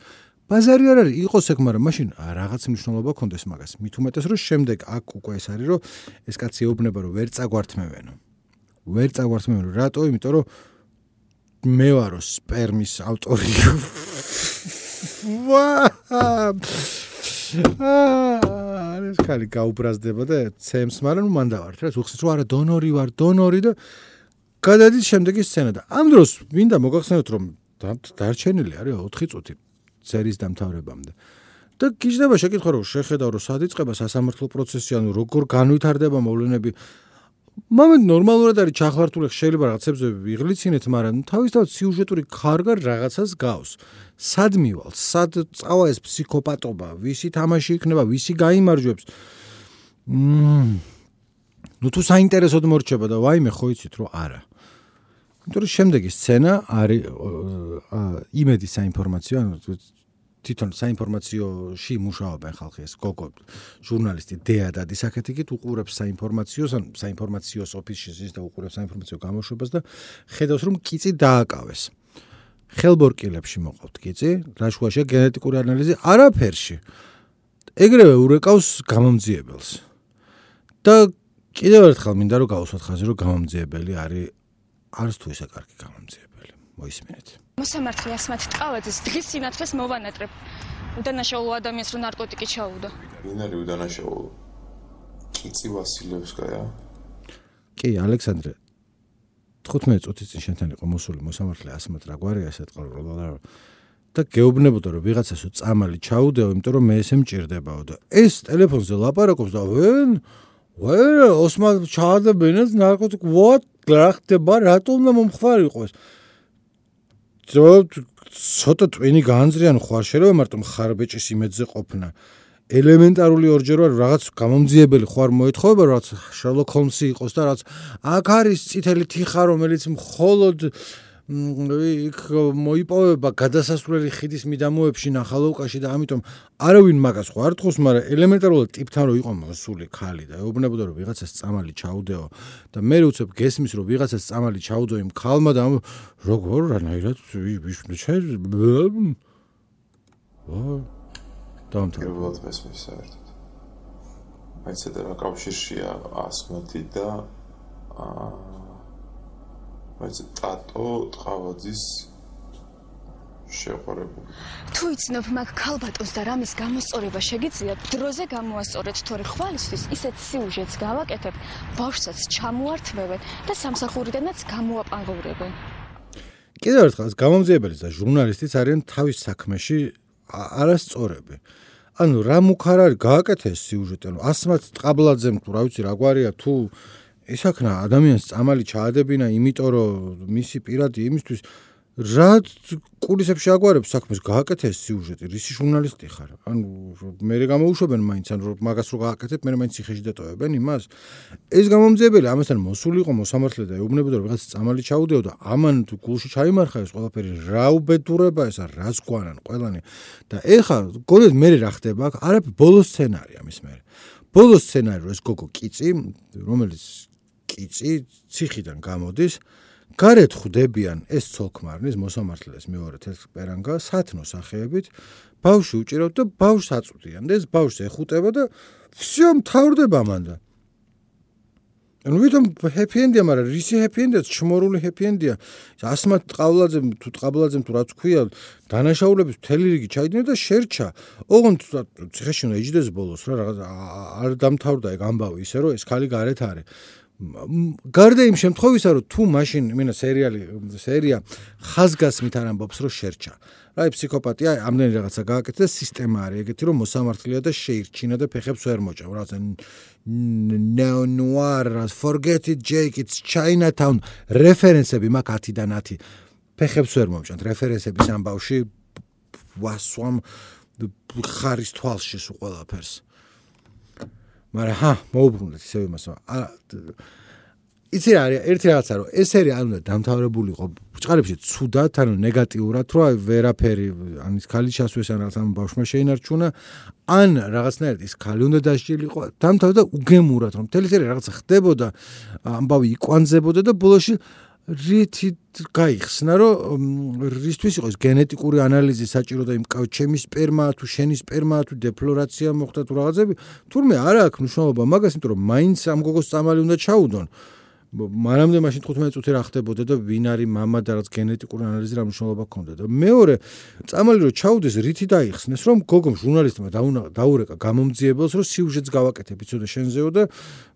ბაზარი არ არის, იყოს ეგ, მაგრამ მაშინ რაღაც მნიშვნელობა ქონდეს მაგას. მით უმეტეს, რომ შემდეგ აქ უკვე ეს არის, რომ ეს კაცი ეუბნება, რომ ვერ წაგვართმევენო. ვერ წაგვართმევენო, რატო? იმიტომ რომ მე ვარო სპერმის ავტორი. ვაა! აა, ეს ხალი გაუბრაზდება და ცემს, მაგრამ ნუ მან დავართ, რა, უხსენს რომ არა დონორი ვარ, დონორი და გადადის შემდეგი სცენა და ამ დროს მინდა მოგახსენოთ, რომ დარჩენილი არის ოთხი წუთი სერიის დამთავრებამდე. და გიждდება შეკითხვა, რომ შეხედავ, რომ სად იწყება სასამართლო პროცესი, ანუ როგორ განვითარდება მოვლენები. მომენტ ნორმალურად არის ჩახლართული, შეიძლება რაღაცებზე ვიღლიცინეთ, მაგრამ თავისთავად სიუჟეტური ქარგა რაღაცას გავს. სად მივალ, სად წავა ეს ფსიქოპატობა, ვისი თამაში იქნება, ვისი გაიმარჯვებს. მმ ნუ თუ საინტერესოდ მორჩება და ვაიმე ხო იცით, რომ არა. იმიტომ რომ შემდეგი სცენა არის იმედი საინფორმაციო, ანუ თვითონ საინფორმაციოში მუშაობენ ხალხი, ეს გოგო ჟურნალისტი დეა დადის აქეთიკით უყურებს საინფორმაციოს, ან საინფორმაციოს ოფისში ზის და უყურებს საინფორმაციო გამოშვებას და ხედავს, რომ კიწი დააკავეს. ხელბორკილებში მოყავთ კიწი, რა შუაშია გენეტიკური ანალიზი, არაფერში. ეგრევე ურეკავს გამომძიებელს. და კიდევ ერთხელ მინდა რომ გავუსვათ ხაზი, რომ გამომძიებელი არის არც თუ ისე კარგი გამომძიებელი. მოისმინეთ. მოსამართლე ასმათ ტყავაძეს დღის სინათლეს მოვანატრებ. უდანაშაულო ადამიანს რო ნარკოტიკი ჩაუვდა. ვინ არის უდანაშაულო? კიცი ვასილევსკაია? კი, ალექსანდრე. თხუთმეტი წუთის წინ შენთან იყო მოსული მოსამართლე ასმათ რა გვარია ესეთ ყოლა და გეუბნებოდა რომ ვიღაცას წამალი ჩაუდეო, იმიტომ რომ მე ესე მჭირდებაო და ეს ტელეფონზე ლაპარაკობს და ვენ ვერა ოსმან ჩაადებინეს ნარკოტიკ what რა ხდება, რატომ უნდა მომხმარიყო ეს? ცოტა ტვინი განძრიან ხوار შეიძლება მარტო ხარბეჭის იმედზე ყოფნა. ელემენტარული ორჯერ ვარ რაღაც გამომძიებელი ხوار მოეთხოვება რაღაც შერლოკ ჰოლმსი იყოს და რაღაც აქ არის წითელი თიხა რომელიც მხოლოდ იქ მოიპოვება გადასასვლელი ხიდის მიდამოებში ნახალოვკაში და ამიტომ არავინ მაგას ხო არ თხოვს, მაგრამ ელემენტარულად ტიპთან რო იყო მოსული ქალი და ეუბნებოდა რომ ვიღაცას წამალი ჩაუდეო და მე უცებ გესმის რომ ვიღაცას წამალი ჩაუდო იმ ქალმა და როგორ რანაირად ვიშნე ვა დამთავრდა მესმის საერთოდ. მაიცეთ რა კავშირშია ასმათი და აა მაიცეთ ტატო ტყავაძის შეყვარებული. თუ იცნობ მაგ ქალბატონს და რამის გამოსწორება შეგიძლიათ, დროზე გამოასწორეთ, თორე ხვალისთვის ისეთ სიუჟეტს გავაკეთებ, ბავშვსაც ჩამოართმევენ და სამსახურიდანაც გამოაპანღურებენ. კიდევ ერთხელ გამომძიებელიც და ჟურნალისტიც არიან თავის საქმეში არასწორები. ანუ რა მუქარ არის გააკეთე ეს სიუჟეტი, ანუ ასმათ ტყაბლაძემ თუ რა ვიცი რა გვარია თუ ისაქნა ადამიანს წამალი ჩაადებინა, იმიტომ რომ მისი პირადი იმისთვის რა კულისებში აგვარებს საქმეს გააკეთე ეს სიუჟეტი, რისი ჟურნალისტი ხარ? ანუ მე გამოუშვებენ მაინც, ანუ მაგას რო გააკეთებ, მე მაინც ციხეში დატოვებენ იმას. ეს გამომძიებელი ამასთან მოსული იყო მოსამართლე და ეუბნებოდა რომ ვიღაც წამალი ჩაუდეო და ამან თუ გულში ჩაიმარხა ეს ყველაფერი, რა უბედურება ესა, რას გვანან ყველანი. და ეხა გონიათ მე რა ხდება აქ? არაფერი, ბოლო სცენარია მის მე. ბოლო სცენარი რომ ეს გოგო კიცი, რომელიც კიცი ციხიდან გამოდის, გარეთ ხვდებიან ეს ცოლქმარნის მოსამართლეს მეორე თეთრპერანგა სათნო სახეებით, ბავშვი უჭირავთ და ბავშვს აწვდიან და ეს ბავშვს ეხუტება და всё მთავრდება მანდა. ანუ ვითომ ჰეპი ენდია, მაგრამ რისი ჰეპი ენდია, ჩმორული ჰეპი ენდია. ასმათ ტყავლაძემ თუ ტყაბლაძემ თუ რაც ქვია, დანაშაულების მთელი რიგი ჩაიდინა და შერჩა. ოღონდ ციხეში უნდა იჯდეს ბოლოს რა, რაღაც არ დამთავრდა ეგ ამბავი ისე რომ ეს ხალი გარეთ არის. გარდა იმ შემთხვევისა, რომ თუ მაშინ მინა სერიალი სერია ხაზგასმით არ ამბობს, რომ შერჩა. რა ფსიქოპატია, ამდენი რაღაცა გააკეთა და სისტემა არის ეგეთი, რომ მოსამართლეა და შეირჩინა და ფეხებს ვერ მოჭამ. რაღაცა neo noir, forget it Jake, it's Chinatown, რეფერენსები მაქვს ათიდან ათი. ფეხებს ვერ მომჭამთ რეფერენსების ამბავში ვასვამ ხარის თვალში სულ ყველაფერს. მაგრამ ჰა, მოუბრუნდეთ ისევ იმას. იცი რა არის ერთი რაღაცა რომ ეს სერია არ უნდა დამთავრებულიყო ბრჭყალებში ცუდად ანუ ნეგატიურად რომ აი ვერაფერი ან ის ქალი ჩასვეს ან რაღაც ამ ბავშვმა შეინარჩუნა ან რაღაცნაირად ის ქალი უნდა დასჯილიყო დამთავრდა უგემურად რომ მთელი სერია რაღაცა ხდებოდა ამბავი იკვანძებოდა და ბოლოში რითი გაიხსნა რომ რისთვის იყო ეს გენეტიკური ანალიზი საჭირო და იმ ჩემი სპერმაა თუ შენი სპერმაა თუ დეფლორაცია მოხდა თუ რაღაცები თურმე არა აქვს მნიშვნელობა მაგას იმიტომ რომ მაინც ამ გოგოს წამალი უნდა ჩაუდონ მანამდე მაშინ თხუთმეტი წუთი რა ხდებოდა და ვინ არის მამა და რაც გენეტიკური ანალიზი რა მნიშვნელობა ჰქონდა და მეორე წამალი რომ ჩაუდეს რითი დაიხსნეს რომ გოგომ ჟურნალისტმა დაურეკა გამომძიებელს რომ სიუჟეტს გავაკეთებ იცოდე შენზეო და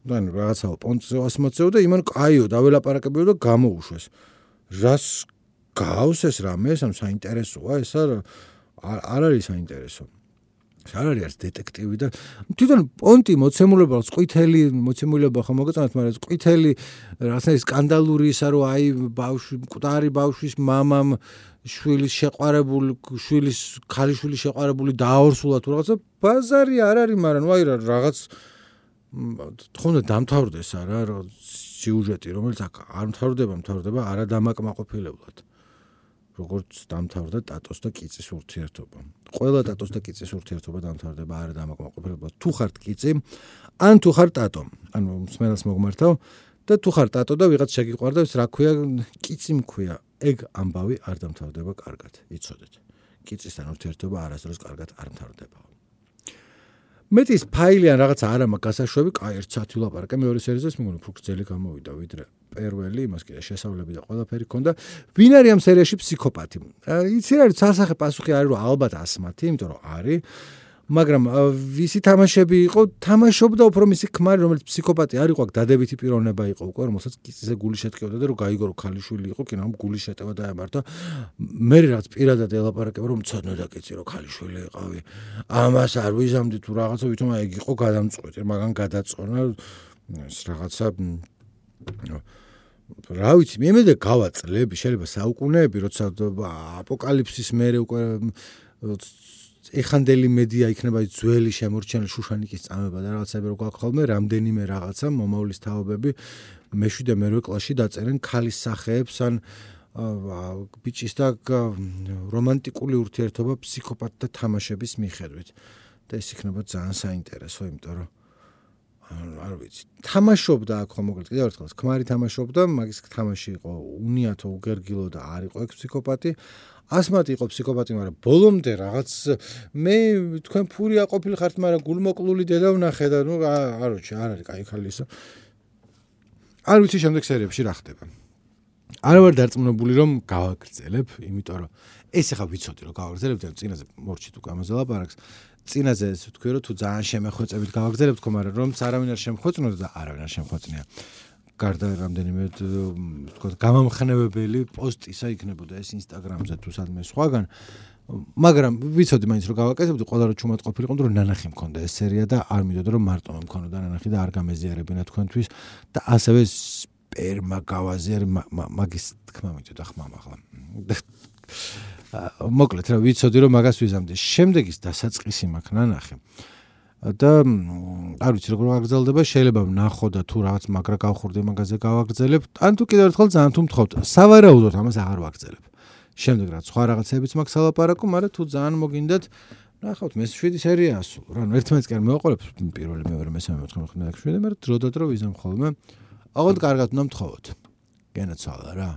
ან რაღაცაო პონტზე ასმოცეო და იმან კაიო დაველაპარაკებიო და გამოუშვეს რას გავს ეს რამე ეს ამ საინტერესოა ეს არ არის საინტერესო არ არის დეტექტივი და თვითონ პონტი მოცემულობა ყვითელი მოცემულობა ხომ მოგეწონათ მაგრამ ყვითელი რაღაცა სკანდალური ისა რომ აი ბავშვი მკვდარი ბავშვის მამამ შვილის შეყვარებული შვილის ქალიშვილის შეყვარებული დააორსულა თუ რაღაცა ბაზარი არ არის მაგრამ აი რაღაც თქონდა დამთავრდეს არა სიუჟეტი რომელიც არ მთავრდება მთავრდება არადამაკმაყოფილებლად როგორც დამთავრდა ტატოს და კიწის ურთიერთობა. ყველა ტატოს და კიწის ურთიერთობა დამთავრდება არადამაკმაყოფილებლად. თუ ხართ კიწი, ან თუ ხარ ტატო, ანუ მსმენელს მოგმართავ და თუ ხარ ტატო და ვიღაც შეგიყვარდა, ის რა ქვია, კიწი მქვია. ეგ ამბავი არ დამთავრდება კარგად, იცოდეთ. კიწისთან ურთიერთობა არასდროს კარგად არ მთავრდება. მეტის ფაილი ან რაღაცა არ მაქვს გასაშვები, კაი ერთ საათი ვლაპარაკე მეორე სერიაზეც მეგონა უფრო გრძელი გამოვიდა ვიდრე პირველი, იმას კიდე შესავლები და ყველაფერი ქონდა. ვინ არის ამ სერიაში ფსიქოპათი? იცი რა არის სასახე პასუხი არის რომ ალბათ ასმათი, იმიტომ რომ არის, მაგრამ ვისი თამაშები იყო, თამაშობდა უფრო მისი ქმარი, რომელიც ფსიქოპათი არ იყო, აქ დადებითი პიროვნება იყო უკვე, რომელსაც კიწიზე გული შეტყევდა და რომ გაიგო რომ ქალიშვილი იყო, კინო ამ გული შეტევა დაემართა. მე რაც პირადად ელაპარაკება რომ მცოდნე და კიცი რომ ქალიშვილი იყავი. ამას არ ვიზამდი თუ რაღაცა ვითომ ეგ იყო გადამწყვეტი, მაგან გადაწყვეტა ეს რაღაცა რა ვიცი, მე მე და გავაწლები, შეიძლება საუკუნეები, როცა აპოკალიფსის მერე უკვე ეხანდელი მედია იქნება ძველი შემორჩენილი შუშანიკის წამება და რაღაცები რო გაქვს ხოლმე, რამდენიმე რაღაცა მომავლის თაობები მეშვიდე მერვე კლასში დაწერენ ქალის სახეებს ან ბიჭის და რომანტიკული ურთიერთობა ფსიქოპათთა თამაშების მიხედვით. და ეს იქნება ძალიან საინტერესო, იმიტომ რომ არ ვიცი. თამაშობდა აქ ხომ მოკლედ კიდევ ერთხელ ქმარი თამაშობდა, მაგის თამაში იყო უნიათო უგერგილო და არ იყო ეგ ფსიქოპათი. ასმათი იყო ფსიქოპათი, მაგრამ ბოლომდე რაღაც მე თქვენ ფურია ყოფილი ხართ, მაგრამ გულმოკლული დედა ვნახე და ნუ არ ვიცი, არ არის კაი ხალი ისო. არ ვიცი შემდეგ სერიებში რა ხდება. არ ვარ დარწმუნებული რომ გავაგრძელებ, იმიტომ რომ ეს ახლა ვიცოდი რომ გავაგრძელებ და წინაზე მორჩით უკვე ამაზე ლაპარაკს. წინაზე ეს ვთქვი რომ თუ ძალიან შემეხვეწებით გავაგრძელებ თქო, მაგრამ რომც არავინ არ შემხვეწნოდა და არავინ არ შემხვეწნია. გარდა რამდენიმე თქო გამამხნევებელი პოსტისა იქნებოდა ეს ინსტაგრამზე თუ სადმე სხვაგან, მაგრამ ვიცოდი მაინც რომ გავაკეთებდი, ყველა რო ჩუმად ყოფილიყო, რომ ნანახი მქონდა ეს სერია და არ მინდოდა რომ მარტო მქონოდა ნანახი და არ გამეზიარებინა თქვენთვის და ასევე სპერმა გავაზიარ მაგის თქმა მინდოდა ხმამ ახლა. მოკლედ რა ვიცოდი რომ მაგას ვიზამდი. შემდეგ ის დასაწყისი მაქვს ნანახი. და არ ვიცი როგორ ვაგრძელდება, შეიძლება ვნახო და თუ რაღაც მაგრა გავხურდი მაგაზე გავაგრძელებ, ან თუ კიდევ ერთხელ ძალიან თუ მთხოვთ, სავარაუდოდ ამას აღარ ვაგრძელებ. შემდეგ რაც სხვა რაღაცებიც მაქვს ალაპარაკო, მაგრამ თუ ძალიან მოგინდათ, ნახავთ მეშვიდი სერია ასულ. რა ნუ ერთმანეთს კი არ მოვაყოლებ, პირველი, მეორე, მესამე, მეხუთე, მეხუთე, მეშვიდე, მაგრამ დროდადრო ვიზამ ხოლმე. აღოდ კარგად უნდა მთხოვოთ. გენაცვალა რა.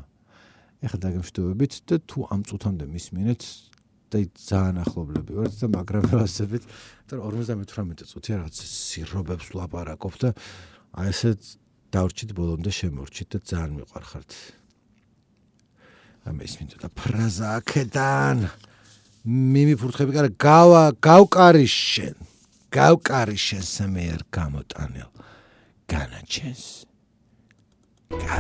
ეხლა დაგემშვიდობებით და თუ ამ წუთამდე მისმინეთ და ძალიან ახლობლები ვართ და მაგრამ ვასებით, და ორმოცდამეთვრამეტი წუთი რაღაც სირობებს ვლაპარაკობ და აი ესე დავრჩით ბოლომდე შემორჩით და ძალიან მიყვარხართ. ამ ისმინდა და ფრაზა აქედან მიმიფურთხები კარა გავა გავკარიშენ გავკარიშენ სამერ გამოტანილ განაჩენს. გა